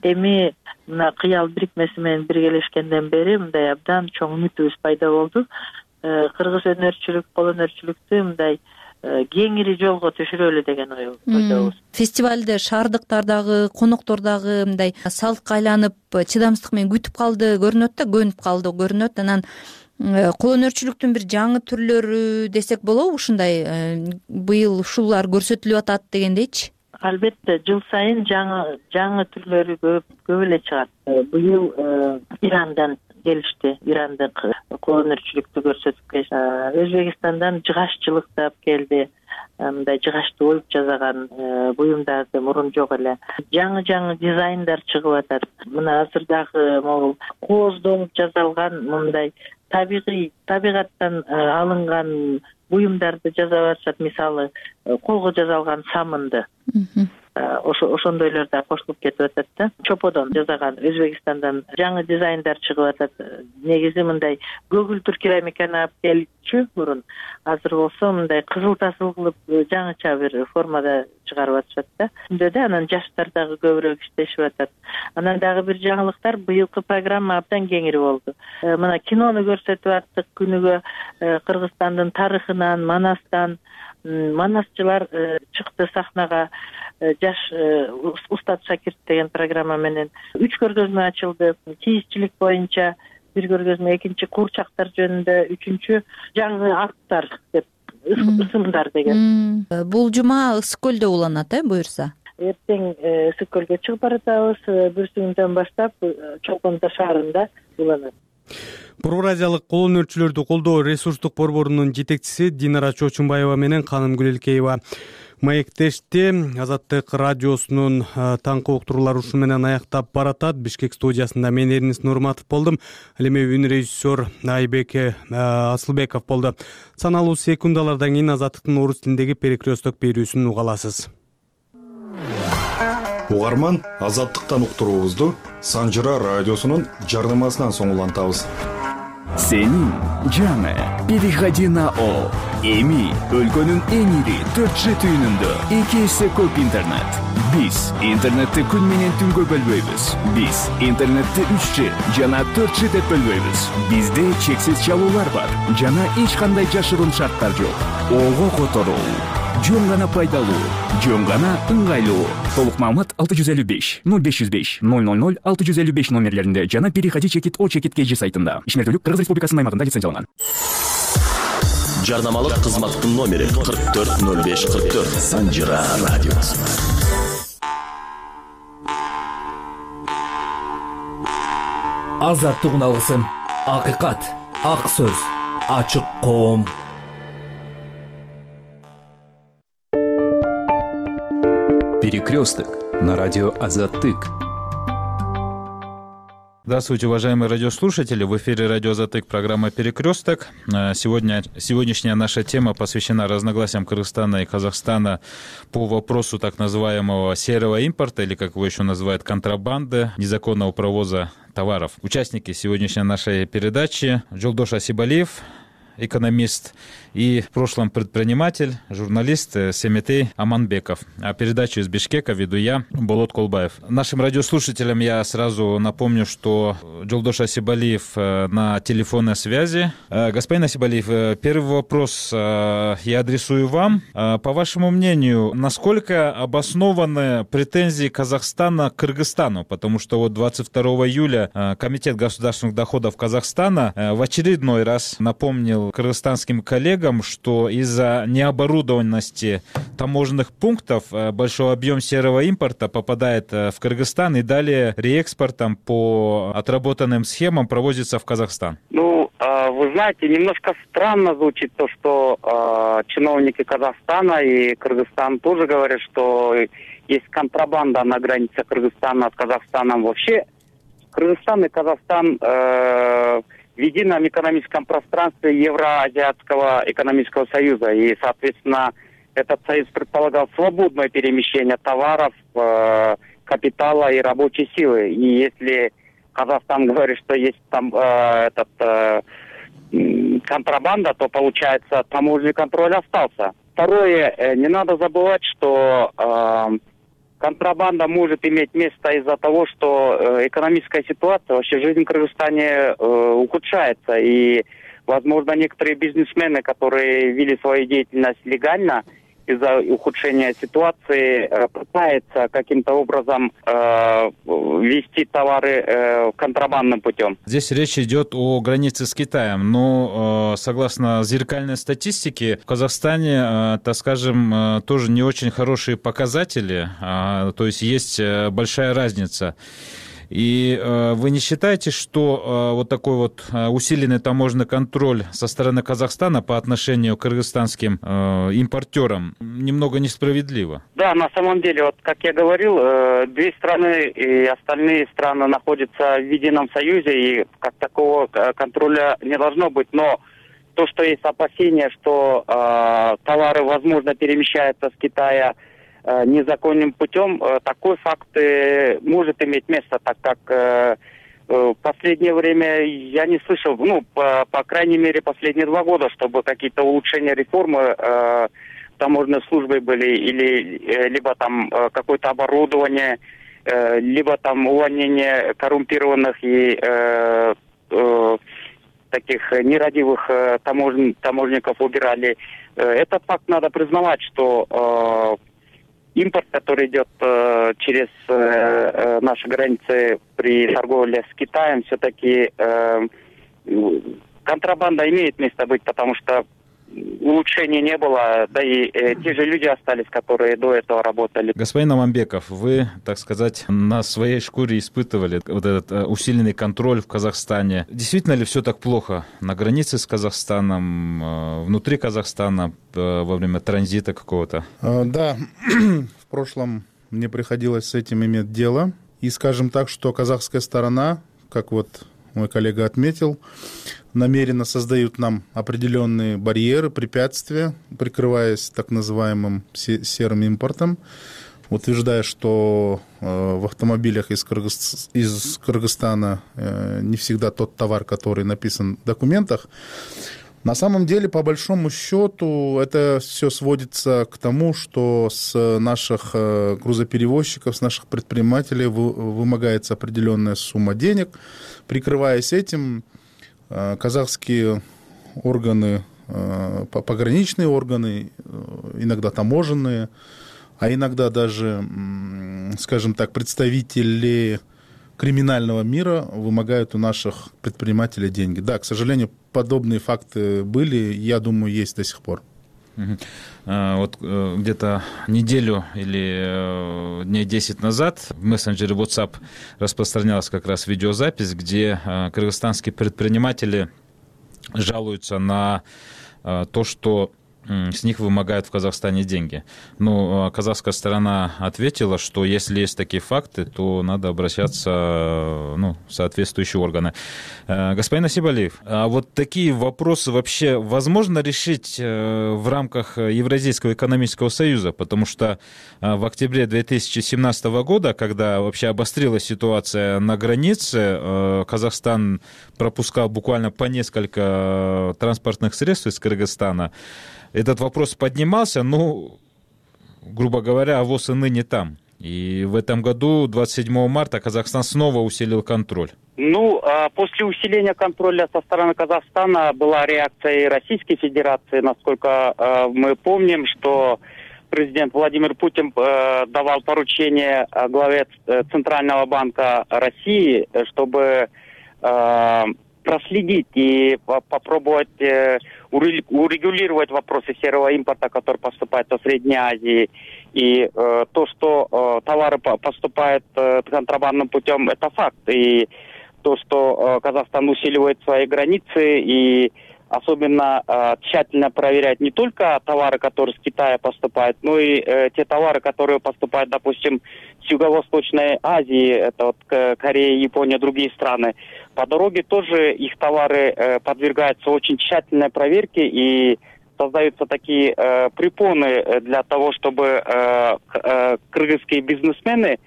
Эми мына Кыял бирикмеси менен биргелешкенден бери мындай абдан чоң үмүтүбүз пайда болду. Кыргыз өнөрчүлүк, кол өнөрчүлүктү мындай кеңири жолго түшүрөлү деген ойдобуз. Фестивалды шаардыктар дагы, коноктор дагы мындай салкка айланып, чыдамсыздык менен күтүп калды көрүнөт да, көнүп калды көрүнөт. Анан кол өнөрчүлүктүн бир жаңы түрлөрү десек болобу, ушундай быйыл ушулар көрсөтүлүп атат дегендейчи? Албетте, жыл сайын жаңы түрлөрү көп эле чыгат. Быйыл Ирандан келишти, ирандык кол өнөрчүлүктү көрсөтүп келишти. Өзбекистандан жыгаччылыктап келди. Мындай жыгачты оюп жасаган буюмдарды мурун жок эле. Жаңы дизайндар чыгып атат. Мына азырдагы могул кооздолуп жасалган мындай табигаттан алынган буюмдарды жасап атышат. Мисалы, колго жасалган самынды. Ошондойлор да кошулуп кетип атат да. Чоподон жасаган Өзбекистандан жаңы дизайндар чыгып атат. Негизи мындай көгүлтүр керамиканы алып келчү мурун. Азыр болсо мындай кызыл тасыл кылып жаңыча бир формада чыгарып атышат да. Шундай да, анан жаштар дагы көбүрөөк иштешип атат. Анан дагы бир жаңылыктар, быйылкы программа абдан кеңири болду. Мына кинону көрсөтүп аттык күнүгө Кыргызстандын тарыхынан, Манастан манасчылар чыкты сахнага. Жаш Устат Шакирт деген программа менен 3 көргөзмө ачылды. Кийизчилик боюнча бир көргөзмө, экинчи куурчактар жөнүндө, үчүнчү жаңы аттар деп ысымдар деген. Бул жума Ысык көлдө уланат, буюрса? Эртең Ысык көлгө чыгып баратабыз. Бүрсүңдөн баштап Чолпон Ата шаарында уланат. Борбор Азиялык кол өнөрчүлөрдү колдоо ресурстук борборунун жетекчиси Динара Чочумбаева менен Канымгүл Элкеева маектешти. Азаттык радиосунун таңкы уктуруулары ушу менен аяктап баратат. Бишкек студиясында мен Эрнис Нурматов болдум. Ал эми үн режиссер Айбек Асылбеков болду. Саналуу секундалардан кийин Азаттыктын орус тилиндеги перекресток берүүсүн уга аласыз. Угарман Азаттыктан уктуруубузду Санжыра радиосунун жардамасынан соң улантабыз. Сенин жаңы переходи на О. Эми өлкөнүн эң ири 4G түйүнүндө 2 эсе көп интернет. Биз интернетти күн менен түнгө бөлбөйбүз. Биз интернетти 3G жана 4G деп бөлбөйбүз. Бизде чексиз чалуулар бар жана эч кандай жашыруун шарттар жок. Ого которуу, жөн гана пайдалуу, жөн гана ыңгайлуу. Толук маалымат 655 0505 000 655 номерлеринде жана переходи-о-kg сайтында. Ишмердүүлүк Кыргыз Республикасынын аймагында лицензияланган. Жарнамалык кызматтын номери 440544 Санжыра радиосу. Азаттык уналгысын, акыйкат, ак сөз, ачык коом. Перекресток на радио Азаттык. Здравствуйте, уважаемые радиослушатели. В эфире радио Азаттык, программа «Перекресток». Сегодняшняя наша тема посвящена разногласиям Кыргызстана и Казахстана по вопросу так называемого серого импорта, или, как его еще называют, контрабанды, незаконного провоза товаров. Участники сегодняшней нашей передачи: Жолдош Асибалиев, экономист, и в прошлом предприниматель, журналист Семетей Аманбеков. А передачу из Бишкека веду я, Болот Колбаев. Нашим радиослушателям я сразу напомню, что Жолдош Асибалиев на телефонной связи. Господин Асибалиев, первый вопрос я адресую вам. По вашему мнению, насколько обоснованы претензии Казахстана к Кыргызстану? Потому что вот 22 июля Комитет государственных доходов Казахстана в очередной раз напомнил кыргызстанским коллегам, что из-за необорудованности таможенных пунктов большой объем серого импорта попадает в Кыргызстан и далее реэкспортом по отработанным схемам провозится в Казахстан. Ну, вы знаете, немножко странно звучит то, что чиновники Казахстана и Кыргызстана тоже говорят, что есть контрабанда на границе Кыргызстана с Казахстаном. Вообще, Кыргызстан и Казахстан в едином экономическом пространстве Евроазиатского экономического союза. И, соответственно, этот союз предполагал свободное перемещение товаров, капитала и рабочей силы. И если Казахстан говорит, что есть там контрабанда, то, получается, таможенный контроль остался. Второе, не надо забывать, что контрабанда может иметь место из-за того, что экономическая ситуация, вообще жизнь в Кыргызстане ухудшается. И, возможно, некоторые бизнесмены, которые вели свою деятельность легально, из-за ухудшения ситуации пытаются каким-то образом вести товары контрабандным путем. Здесь речь идет о границе с Китаем, но согласно зеркальной статистике в Казахстане, так скажем, тоже не очень хорошие показатели, то есть есть большая разница. И вы не считаете, что вот такой вот усиленный таможенный контроль со стороны Казахстана по отношению к кыргызстанским импортерам немного несправедливо? Да, на самом деле, вот как я говорил, две страны и остальные страны находятся в едином союзе, и как такого контроля не должно быть. Но то, что есть опасения, что товары, возможно, перемещаются с Китая незаконным путем, такой факт может иметь место, так как в последнее время я не слышал, по крайней мере, последние 2 года, чтобы какие-то улучшения реформы таможенной службы были, или либо там какое-то оборудование, либо там увольнение коррумпированных и таких нерадивых таможенников убирали. Этот факт надо признавать, что импорт, который идет через наши границы при торговле с Китаем, все-таки контрабанда имеет место быть, потому что улучшений не было, да и те же люди остались, которые до этого работали. Господин Аманбеков, вы, так сказать, на своей шкуре испытывали вот этот усиленный контроль в Казахстане. Действительно ли все так плохо на границе с Казахстаном, внутри Казахстана, во время транзита какого-то? Да, в прошлом мне приходилось с этим иметь дело. И скажем так, что казахская сторона, как вот мой коллега отметил, намеренно создают нам определенные барьеры, препятствия, прикрываясь так называемым серым импортом. утверждая, что в автомобилях из Кыргызстана не всегда тот товар, который написан в документах. На самом деле, по большому счету, это все сводится к тому, что с наших грузоперевозчиков, с наших предпринимателей вымогается определенная сумма денег. Прикрываясь этим, казахские органы, пограничные органы, иногда таможенные, а иногда даже, скажем так, представители криминального мира вымогают у наших предпринимателей деньги. Да, к сожалению, подобные факты были, я думаю, есть до сих пор. Вот где-то неделю или дней 10 назад в мессенджере WhatsApp распространялась как раз видеозапись, где кыргызстанские предприниматели жалуются на то, что с них вымогают в Казахстане деньги. Но казахская сторона ответила, что если есть такие факты, то надо обращаться в соответствующие органы. Господин Насибалиев, а вот такие вопросы вообще возможно решить в рамках Евразийского экономического союза? Потому что в октябре 2017 года, когда вообще обострилась ситуация на границе, Казахстан пропускал буквально по несколько транспортных средств из Кыргызстана. Этот вопрос поднимался, грубо говоря, ВОЗ и ныне там. И в этом году, 27 марта, Казахстан снова усилил контроль. После усиления контроля со стороны Казахстана была реакция и Российской Федерации. Насколько мы помним, что президент Владимир Путин давал поручение главе Центрального банка России, чтобы проследить и попробовать урегулировать вопросы серого импорта, который поступает со Средней Азии. И то, что товары поступают контрабандным путем, это факт. И то, что Казахстан усиливает свои границы и особенно тщательно проверяет не только товары, которые с Китая поступают, но и те товары, которые поступают, допустим, с Юго-Восточной Азии, это вот Корея, Япония, другие страны. По дороге тоже их товары подвергаются очень тщательной проверке и создаются такие препоны для того, чтобы кыргызские бизнесмены,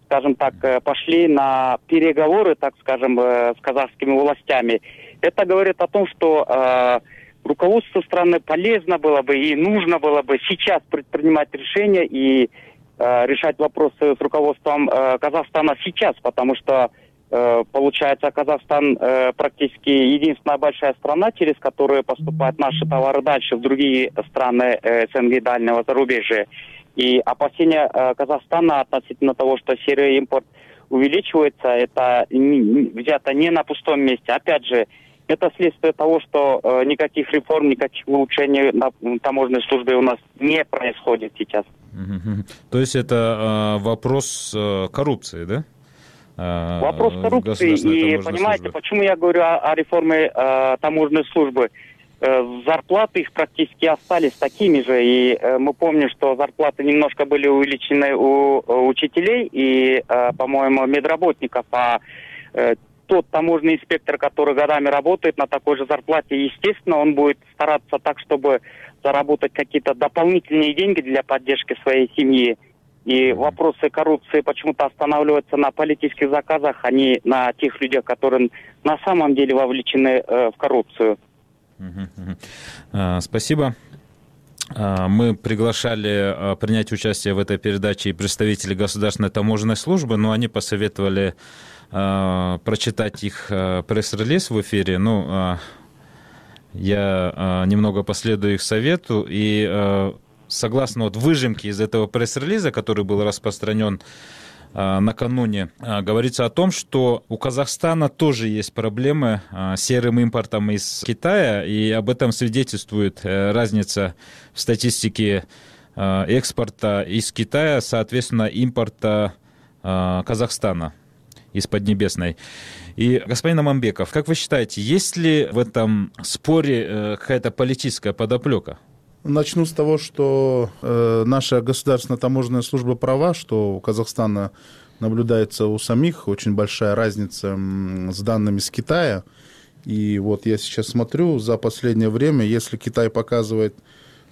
скажем так, пошли на переговоры, так скажем, с казахскими властями. Это говорит о том, что руководству страны полезно было бы и нужно было бы сейчас предпринимать решения и решать вопросы с руководством Казахстана сейчас, потому что получается, Казахстан практически единственная большая страна, через которую поступают наши товары дальше в другие страны СНГ и дальнего зарубежья. И опасения Казахстана относительно того, что серый импорт увеличивается, это взято не на пустом месте. Опять же, это следствие того, что никаких реформ, никаких улучшений на таможенной службе у нас не происходит сейчас. То есть это вопрос коррупции, да? Вопрос коррупции. И понимаете, службы. Почему я говорю о реформе таможенной службы? Зарплаты их практически остались такими же. И мы помним, что зарплаты немножко были увеличены у учителей и, по-моему, медработников. А тот таможенный инспектор, который годами работает на такой же зарплате, естественно, он будет стараться так, чтобы заработать какие-то дополнительные деньги для поддержки своей семьи. И вопросы коррупции почему-то останавливаются на политических заказах, а не на тех людях, которые на самом деле вовлечены в коррупцию. Спасибо. Мы приглашали принять участие в этой передаче и представителей Государственной таможенной службы, но они посоветовали прочитать их пресс-релиз в эфире. Я немного последую их совету и согласно выжимке из этого пресс-релиза, который был распространен накануне, говорится о том, что у Казахстана тоже есть проблемы с серым импортом из Китая, и об этом свидетельствует разница в статистике экспорта из Китая, соответственно, импорта Казахстана из Поднебесной. И, господин Аманбеков, как вы считаете, есть ли в этом споре какая-то политическая подоплека? Начну с того, что наша государственная таможенная служба права, что у Казахстана наблюдается у самих очень большая разница с данными с Китая. И вот я сейчас смотрю, за последнее время, если Китай показывает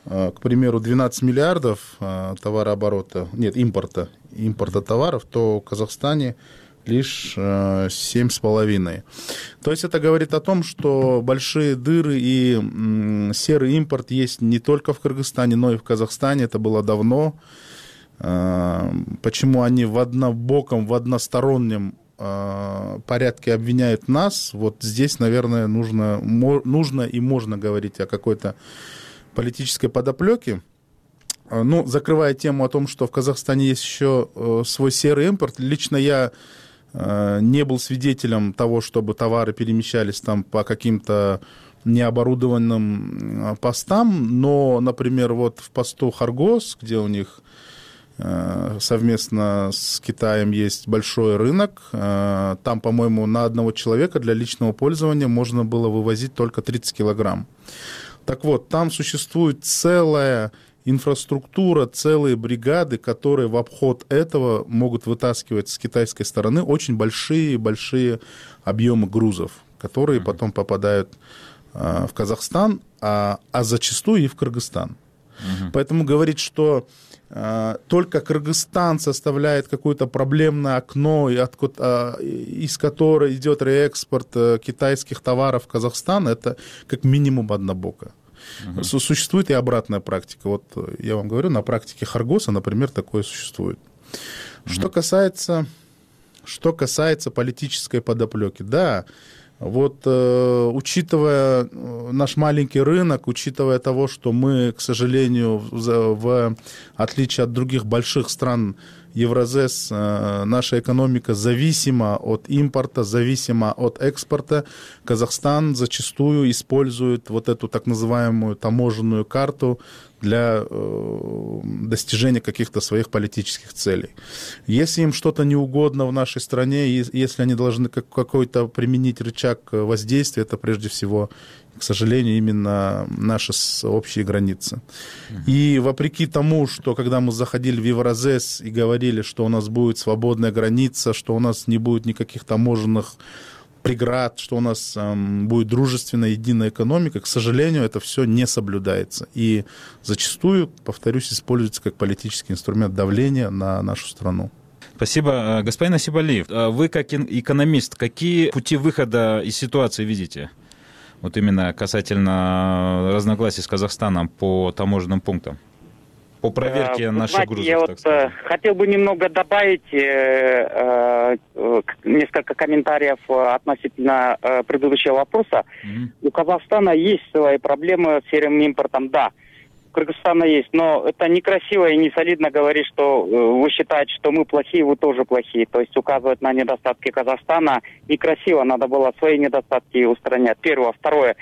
к примеру, 12 миллиардов товарооборота, нет, импорта товаров, то в Казахстане лишь 7,5. То есть это говорит о том, что большие дыры и серый импорт есть не только в Кыргызстане, но и в Казахстане. Это было давно. Почему они в одностороннем порядке обвиняют нас? Вот здесь, наверное, нужно и можно говорить о какой-то политической подоплеке. Ну, закрывая тему о том, что в Казахстане есть еще свой серый импорт, лично я не был свидетелем того, чтобы товары перемещались там по каким-то необорудованным постам, но, например, вот в посту Харгос, где у них совместно с Китаем есть большой рынок, там, по-моему, на одного человека для личного пользования можно было вывозить только 30 килограмм. Так вот, там существует целая инфраструктура, целые бригады, которые в обход этого могут вытаскивать с китайской стороны очень большие объемы грузов, которые потом попадают в Казахстан, а зачастую и в Кыргызстан. Поэтому говорить, что только Кыргызстан составляет какое-то проблемное окно, из которого идет реэкспорт китайских товаров в Казахстан, это как минимум однобоко. Существует и обратная практика. Вот я вам говорю, на практике Харгоса, например, такое существует. Что касается политической подоплеки, да, вот учитывая наш маленький рынок, учитывая того, что мы, к сожалению, в отличие от других больших стран Евразес, наша экономика зависима от импорта, зависима от экспорта. Казахстан зачастую использует вот эту так называемую таможенную карту для достижения каких-то своих политических целей. Если им что-то не угодно в нашей стране, если они должны какой-то применить рычаг воздействия, это прежде всего, к сожалению, именно наши общие границы. И вопреки тому, что когда мы заходили в Евразес и говорили, что у нас будет свободная граница, что у нас не будет никаких таможенных преград, что у нас будет дружественная единая экономика, к сожалению, это все не соблюдается. И зачастую, повторюсь, используется как политический инструмент давления на нашу страну. Спасибо. Господин Асибалиев, вы как экономист, какие пути выхода из ситуации видите? Вот именно касательно разногласий с Казахстаном по таможенным пунктам, по проверке наших грузов, я так сказать. Хотел бы немного добавить несколько комментариев относительно предыдущего вопроса. У Казахстана есть свои проблемы с серым импортом, да. У Кыргызстана есть, но это некрасиво и не солидно говорить, что вы считаете, что мы плохие, вы тоже плохие. То есть указывать на недостатки Казахстана некрасиво, надо было свои недостатки устранять. Первое. Второе.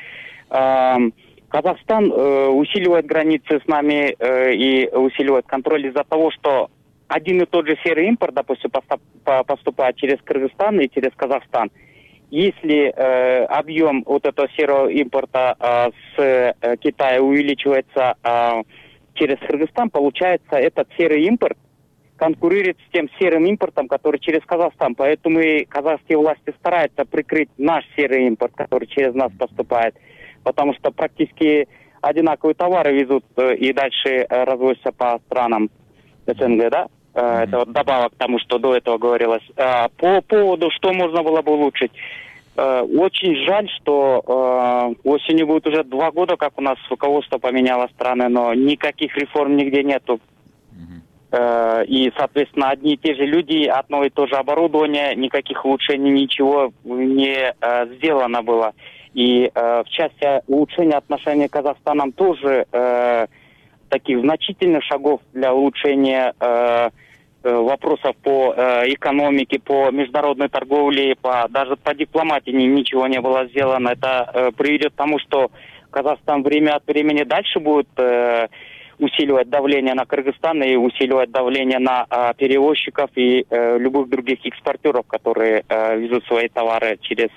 Казахстан усиливает границы с нами и усиливает контроль из-за того, что один и тот же серый импорт, допустим, поступает через Кыргызстан и через Казахстан. Если объем вот этого серого импорта с Китая увеличивается через Кыргызстан, получается, этот серый импорт конкурирует с тем серым импортом, который через Казахстан. Поэтому и казахские власти стараются прикрыть наш серый импорт, который через нас поступает. Потому что практически одинаковые товары везут и дальше развозятся по странам СНГ, да? Это вот добавок к тому, что до этого говорилось. По поводу, что можно было бы улучшить. Очень жаль, что осенью будет уже 2 года, как у нас руководство поменяло страны, но никаких реформ нигде нету. И, соответственно, одни и те же люди, одно и то же оборудование, никаких улучшений, ничего не сделано было. И в части улучшения отношений с Казахстаном тоже таких значительных шагов для улучшения вопросов по экономике, по международной торговле, даже по дипломатии ничего не было сделано. Это приведет к тому, что Казахстан время от времени дальше будет усиливать давление на Кыргызстан и усиливать давление на перевозчиков и любых других экспортеров, которые везут свои товары через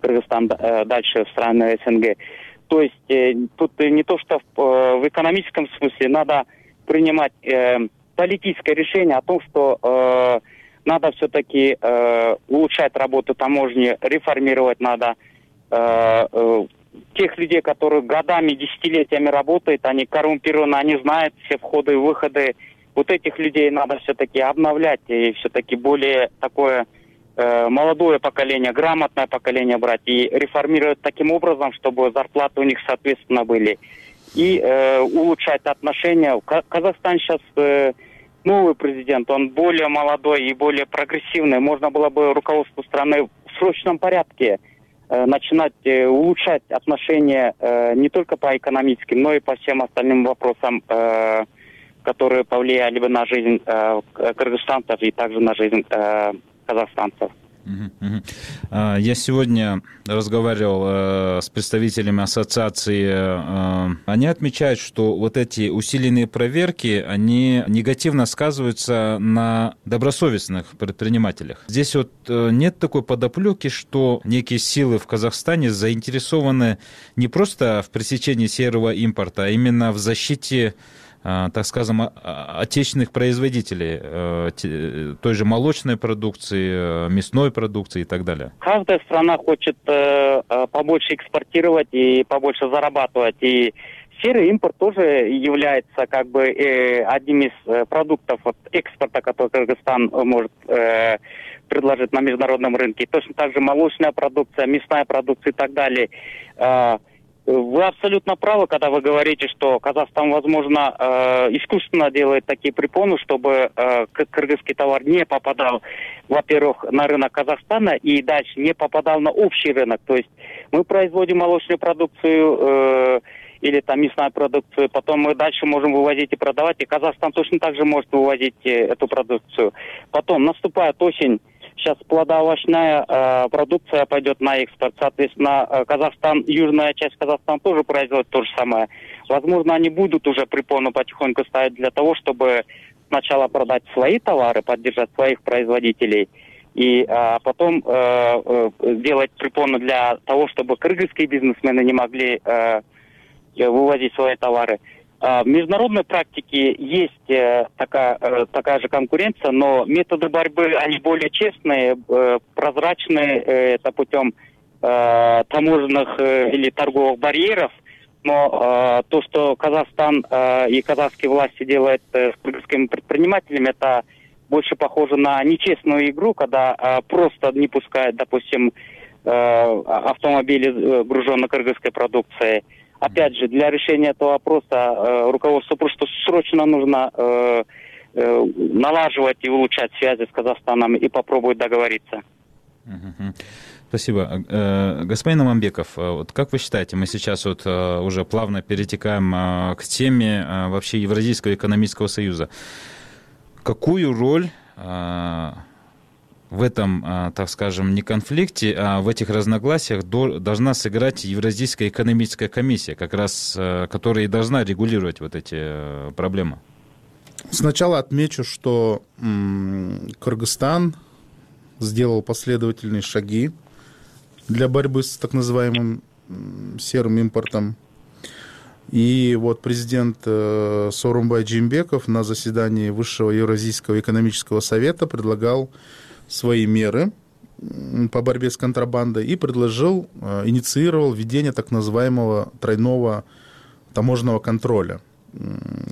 Кыргызстан дальше в страны СНГ. То есть тут не то, что в экономическом смысле надо принимать политическое решение о том, что надо все-таки улучшать работу таможни, реформировать надо тех людей, которые годами, десятилетиями работают, они коррумпированы, они знают все входы и выходы. Вот этих людей надо все-таки обновлять и все-таки более такое молодое поколение, грамотное поколение брать и реформировать таким образом, чтобы зарплаты у них соответственно были. И улучшать отношения. Казахстан сейчас новый президент, он более молодой и более прогрессивный. Можно было бы руководству страны в срочном порядке начинать улучшать отношения не только по экономическим, но и по всем остальным вопросам, которые повлияли бы на жизнь кыргызстанцев и также на жизнь казахстанцев. Я сегодня разговаривал с представителями ассоциации. Они отмечают, что вот эти усиленные проверки, они негативно сказываются на добросовестных предпринимателях. Здесь вот нет такой подоплеки, что некие силы в Казахстане заинтересованы не просто в пресечении серого импорта, а именно в защите, так скажем, отечественных производителей, той же молочной продукции, мясной продукции и так далее? Каждая страна хочет побольше экспортировать и побольше зарабатывать. И серый импорт тоже является как бы одним из продуктов экспорта, который Кыргызстан может предложить на международном рынке. Точно так же молочная продукция, мясная продукция и так далее. Вы абсолютно правы, когда вы говорите, что Казахстан, возможно, искусственно делает такие препоны, чтобы кыргызский товар не попадал, во-первых, на рынок Казахстана и дальше не попадал на общий рынок. То есть мы производим молочную продукцию или там мясную продукцию, потом мы дальше можем вывозить и продавать, и Казахстан точно так же может вывозить эту продукцию. Потом наступает осень. Сейчас плодоовощная продукция пойдет на экспорт. Соответственно, Казахстан, южная часть Казахстана тоже производит то же самое. Возможно, они будут уже препоны потихоньку ставить для того, чтобы сначала продать свои товары, поддержать своих производителей, и потом делать препоны для того, чтобы кыргызские бизнесмены не могли вывозить свои товары. В международной практике есть такая же конкуренция, но методы борьбы, они более честные, прозрачные, это путем таможенных или торговых барьеров. Но то, что Казахстан и казахские власти делают с кыргызскими предпринимателями, это больше похоже на нечестную игру, когда просто не пускают, допустим, автомобили, груженные кыргызской продукцией. Опять же, для решения этого вопроса руководству просто срочно нужно налаживать и улучшать связи с Казахстаном и попробовать договориться. Спасибо. Господин Аманбеков, вот как вы считаете, мы сейчас вот уже плавно перетекаем к теме вообще Евразийского экономического союза. Какую роль в этом, так скажем, не конфликте, а в этих разногласиях должна сыграть Евразийская экономическая комиссия, как раз, которая и должна регулировать вот эти проблемы? Сначала отмечу, что Кыргызстан сделал последовательные шаги для борьбы с так называемым серым импортом. И вот президент Сооронбай Жээнбеков на заседании Высшего Евразийского экономического совета предлагал свои меры по борьбе с контрабандой и инициировал введение так называемого тройного таможенного контроля,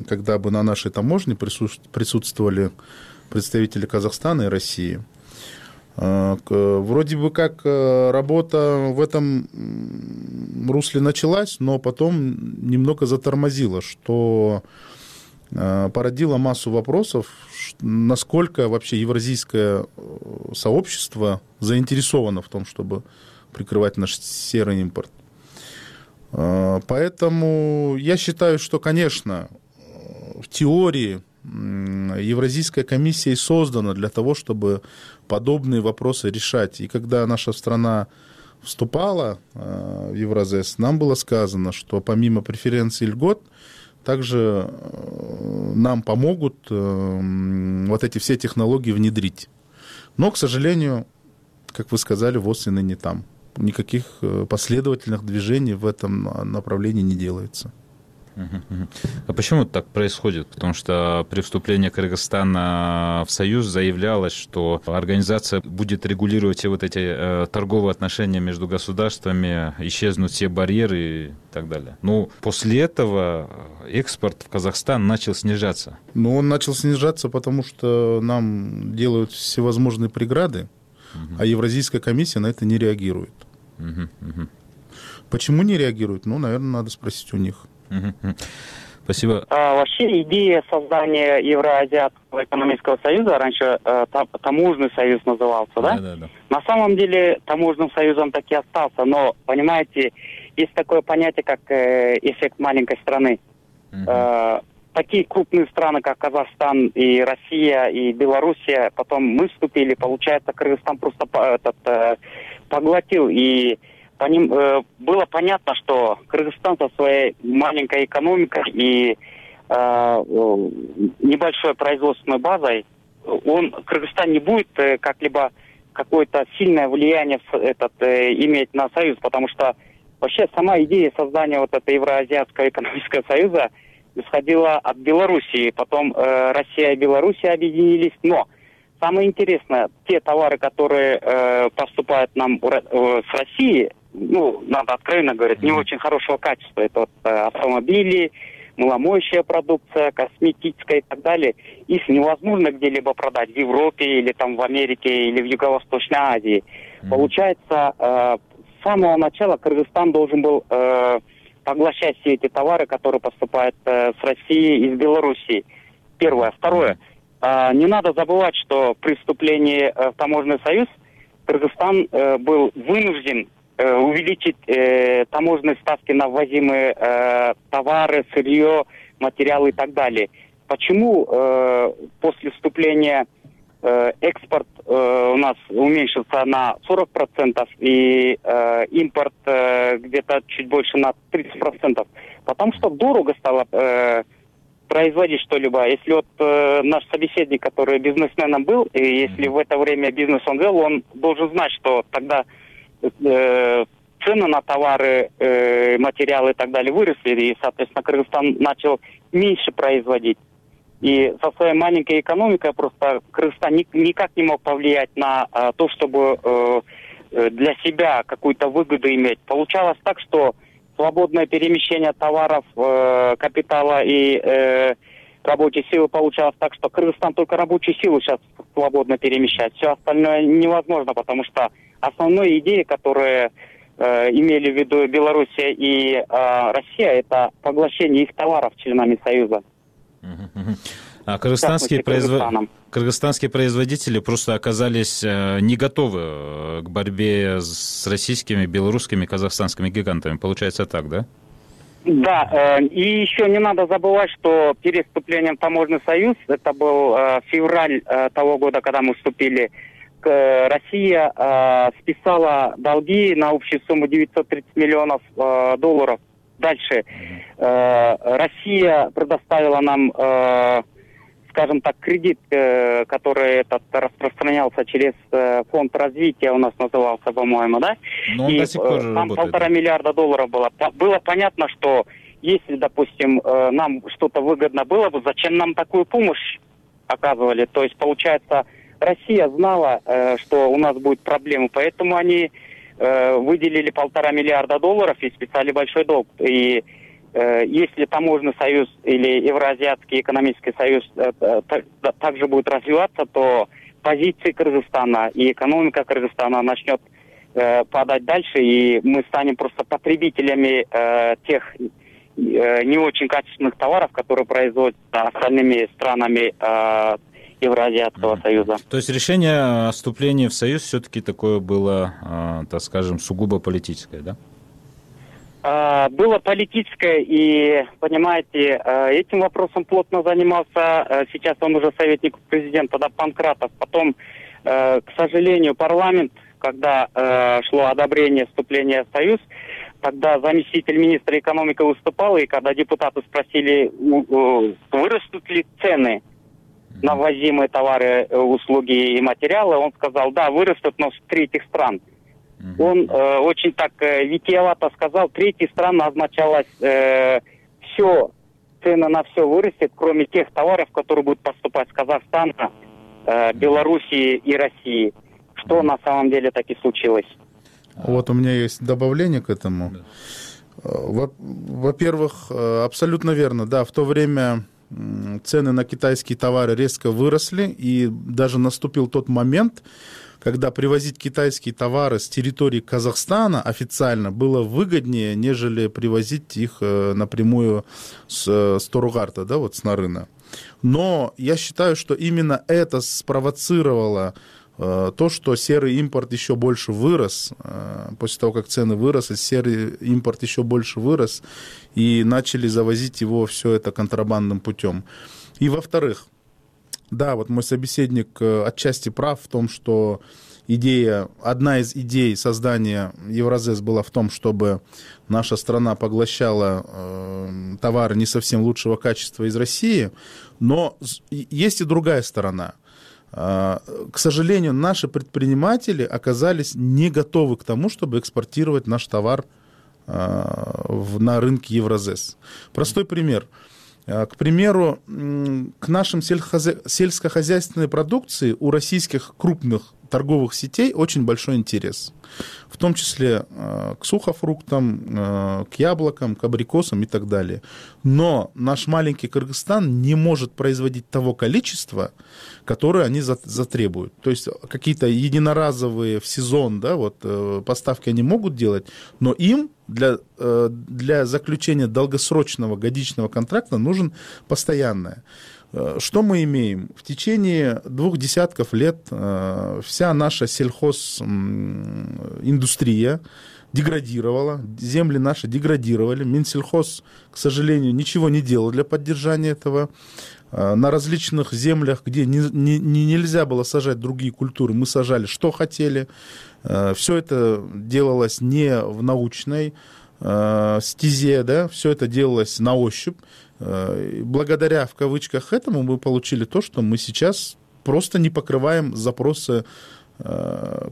когда бы на нашей таможне присутствовали представители Казахстана и России. Вроде бы как работа в этом русле началась, но потом немного затормозила, что породило массу вопросов, насколько вообще евразийское сообщество заинтересовано в том, чтобы прикрывать наш серый импорт. Поэтому я считаю, что, конечно, в теории Евразийская комиссия и создана для того, чтобы подобные вопросы решать. И когда наша страна вступала в Евразес, нам было сказано, что помимо преференций и льгот, также нам помогут вот эти все технологии внедрить. Но, к сожалению, как вы сказали, ВОЗ и ныне там. Никаких последовательных движений в этом направлении не делается. А почему так происходит? Потому что при вступлении Кыргызстана в Союз заявлялось, что организация будет регулировать все вот эти торговые отношения между государствами, исчезнут все барьеры и так далее. Но после этого экспорт в Казахстан начал снижаться. Ну, он начал снижаться, потому что нам делают всевозможные преграды, а Евразийская комиссия на это не реагирует. Почему не реагирует? Ну, наверное, надо спросить у них. Спасибо. Вообще идея создания Евроазиатского экономического союза, раньше таможенный союз назывался, да? Да. На самом деле таможенным союзом так и остался, но, понимаете, есть такое понятие, как эффект маленькой страны. Такие крупные страны, как Казахстан и Россия, и Белоруссия, потом мы вступили, получается, Кыргызстан просто поглотил, и по ним было понятно, что Кыргызстан со своей маленькой экономикой и небольшой производственной базой, Кыргызстан не будет как-либо какое-то сильное влияние иметь на союз, потому что вообще сама идея создания вот этого Евроазиатского экономического союза исходила от Белоруссии, потом Россия и Белоруссия объединились, но самое интересное, те товары, которые поступают нам с России, ну, надо откровенно говорить, не очень хорошего качества. Это вот автомобили, маломоющая продукция, косметическая и так далее. Их невозможно где-либо продать в Европе или там в Америке или в Юго-Восточной Азии. Получается, с самого начала Кыргызстан должен был поглощать все эти товары, которые поступают с России и с Белоруссии. Первое. Второе. Не надо забывать, что при вступлении в таможенный союз Кыргызстан был вынужден увеличить таможенные ставки на ввозимые товары, сырье, материалы и так далее. Почему после вступления экспорт у нас уменьшился на 40% и импорт где-то чуть больше на 30%? Потому что дорого стало производить что-либо. Если вот наш собеседник, который бизнесменом был, и если в это время бизнес он вел, он должен знать, что тогда цены на товары, материалы и так далее выросли, и, соответственно, Кыргызстан начал меньше производить. И со своей маленькой экономикой просто Кыргызстан никак не мог повлиять на то, чтобы для себя какую-то выгоду иметь. Получалось так, что свободное перемещение товаров, капитала и рабочей силы получалось так, что Кыргызстан только рабочую силу сейчас свободно перемещает. Все остальное невозможно, потому что основной идеей, которые имели в виду Белоруссия и Россия, это поглощение их товаров членами Союза. А кыргызстанские производители просто оказались не готовы к борьбе с российскими, белорусскими, казахстанскими гигантами. Получается так, да? Да, и еще не надо забывать, что перед вступлением в таможенный союз, это был февраль того года, когда мы вступили, Россия списала долги на общую сумму 930 миллионов долларов. Дальше Россия предоставила нам, скажем так, кредит, который распространялся через фонд развития, у нас назывался, по-моему, да? Но он до сих пор там работает. $1,5 миллиарда было. Было понятно, что если, допустим, нам что-то выгодно было бы, зачем нам такую помощь оказывали? То есть, получается, Россия знала, что у нас будут проблемы, поэтому они выделили $1,5 миллиарда и списали большой долг. И если таможенный союз или Евроазиатский экономический союз также будет развиваться, то позиции Кыргызстана и экономика Кыргызстана начнет падать дальше, и мы станем просто потребителями тех не очень качественных товаров, которые производятся остальными странами Евроазиатского союза. То есть решение о вступлении в союз все-таки такое было, так скажем, сугубо политическое, да? Было политическое, и, понимаете, этим вопросом плотно занимался, сейчас он уже советник президента, да, Панкратов. Потом, к сожалению, парламент, когда шло одобрение вступления в союз, тогда заместитель министра экономики выступал, и когда депутаты спросили, вырастут ли цены на ввозимые товары, услуги и материалы, он сказал, да, вырастут, но с третьих стран. Он очень так витиевато сказал, третьи страны означалось все, цены на все вырастет, кроме тех товаров, которые будут поступать с Казахстана, Белоруссии и России. Что на самом деле так и случилось? Вот у меня есть добавление к этому. Во-первых, абсолютно верно, да, в то время цены на китайские товары резко выросли, и даже наступил тот момент, когда привозить китайские товары с территории Казахстана официально было выгоднее, нежели привозить их напрямую с Торугарта, да, вот с Нарына. Но я считаю, что именно это спровоцировало то, что серый импорт еще больше вырос, после того, как цены выросли, серый импорт еще больше вырос, и начали завозить его все это контрабандным путем. И во-вторых, да, вот мой собеседник отчасти прав в том, что одна из идей создания Евразес была в том, чтобы наша страна поглощала товары не совсем лучшего качества из России, но есть и другая сторона. К сожалению, наши предприниматели оказались не готовы к тому, чтобы экспортировать наш товар на рынке Евразес. Простой пример. К примеру, к нашим сельскохозяйственной продукции у российских крупных торговых сетей очень большой интерес. В том числе к сухофруктам, к яблокам, к абрикосам и так далее. Но наш маленький Кыргызстан не может производить того количества, которое они затребуют. То есть какие-то единоразовые в сезон, да, вот, поставки они могут делать, но им для заключения долгосрочного годичного контракта нужен постоянное. Что мы имеем? В течение 2 десятков лет вся наша сельхозиндустрия деградировала, земли наши деградировали. Минсельхоз, к сожалению, ничего не делал для поддержания этого. На различных землях, где нельзя было сажать другие культуры, мы сажали, что хотели. Все это делалось не в научной стезе, да? Все это делалось на ощупь. Благодаря, в кавычках, этому мы получили то, что мы сейчас просто не покрываем запросы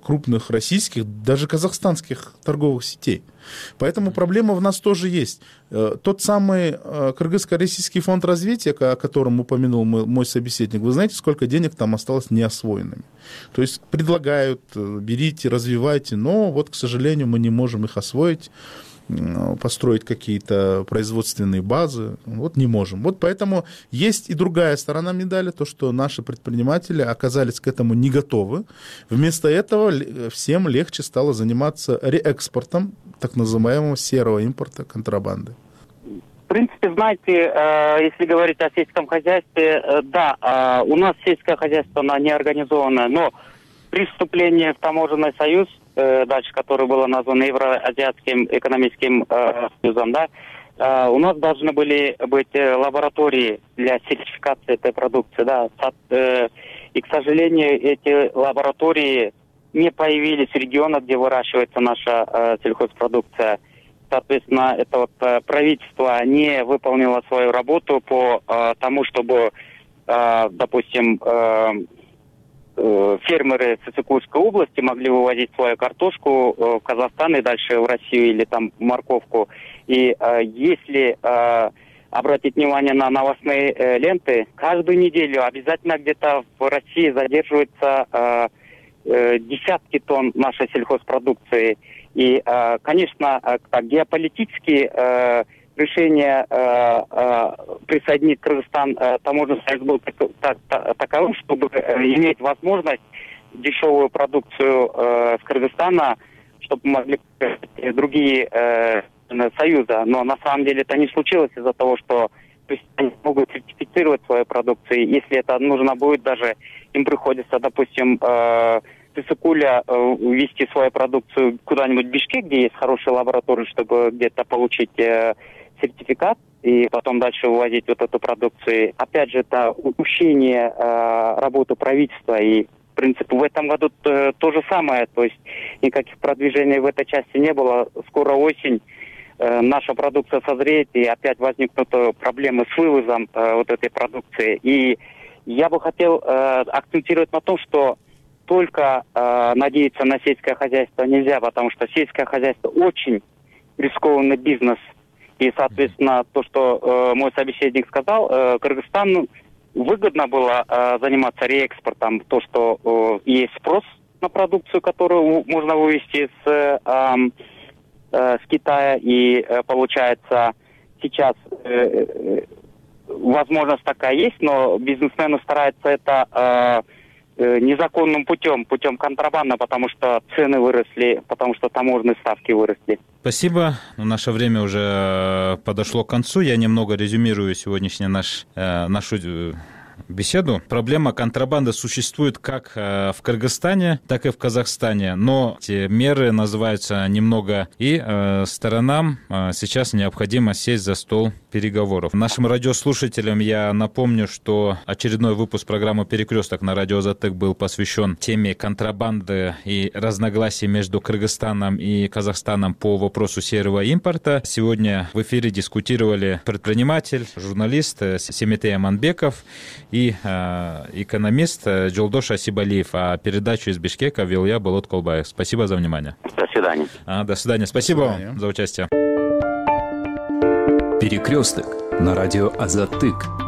крупных российских, даже казахстанских торговых сетей. Поэтому проблема в нас тоже есть. Тот самый Кыргызско-российский фонд развития, о котором упомянул мой собеседник, вы знаете, сколько денег там осталось неосвоенными? То есть предлагают, берите, развивайте, но вот, к сожалению, мы не можем их освоить, построить какие-то производственные базы, вот не можем. Вот поэтому есть и другая сторона медали, то, что наши предприниматели оказались к этому не готовы. Вместо этого всем легче стало заниматься реэкспортом так называемого серого импорта, контрабанды. В принципе, знаете, если говорить о сельском хозяйстве, да, у нас сельское хозяйство, оно неорганизованное, но при вступлении в таможенный союз, дальше, который было названо Евроазиатским экономическим союзом, да, у нас должны были быть лаборатории для сертификации этой продукции, да, и, к сожалению, эти лаборатории не появились в регионах, где выращивается наша сельхозпродукция. Соответственно, это вот правительство не выполнило свою работу по тому, чтобы, допустим, фермеры Сысыкульской области могли вывозить свою картошку в Казахстан и дальше в Россию или там морковку. И если обратить внимание на новостные ленты, каждую неделю обязательно где-то в России задерживаются десятки тонн нашей сельхозпродукции. И, конечно, геополитические решение присоединить Кыргызстан таможенный союз был таковым, чтобы иметь возможность дешевую продукцию с Кыргызстана, чтобы могли другие союза. Но на самом деле это не случилось из-за того, что они могут сертифицировать свою продукцию. Если это нужно будет, даже им приходится, допустим, Сысыкуля ввести свою продукцию куда-нибудь в Бишкек, где есть хорошие лаборатории, чтобы где-то получить сертификат и потом дальше вывозить вот эту продукцию. Опять же, это упущение работы правительства. И, в принципе, в этом году то же самое. То есть никаких продвижений в этой части не было. Скоро осень, наша продукция созреет, и опять возникнут проблемы с вывозом вот этой продукции. И я бы хотел акцентировать на том, что только надеяться на сельское хозяйство нельзя, потому что сельское хозяйство очень рискованный бизнес. И, соответственно, то, что мой собеседник сказал, Кыргызстану выгодно было заниматься реэкспортом, то, что есть спрос на продукцию, которую можно вывести с Китая, и получается сейчас возможность такая есть, но бизнесмены стараются это незаконным путем контрабанды, потому что цены выросли, потому что таможенные ставки выросли. Спасибо. Наше время уже подошло к концу. Я немного резюмирую сегодняшнюю нашу беседу. Проблема контрабанды существует как в Кыргызстане, так и в Казахстане, но эти меры называются немного, и сторонам сейчас необходимо сесть за стол переговоров. Нашим радиослушателям я напомню, что очередной выпуск программы «Перекресток» на радио Азаттык был посвящен теме контрабанды и разногласий между Кыргызстаном и Казахстаном по вопросу серого импорта. Сегодня в эфире дискутировали предприниматель, журналист Семетей Аманбеков и экономист Жолдош Асибалиев. А передачу из Бишкека вел я, Болот Колбаев. Спасибо за внимание. До свидания. До свидания. Спасибо вам за участие. Перекресток на радио Азаттык.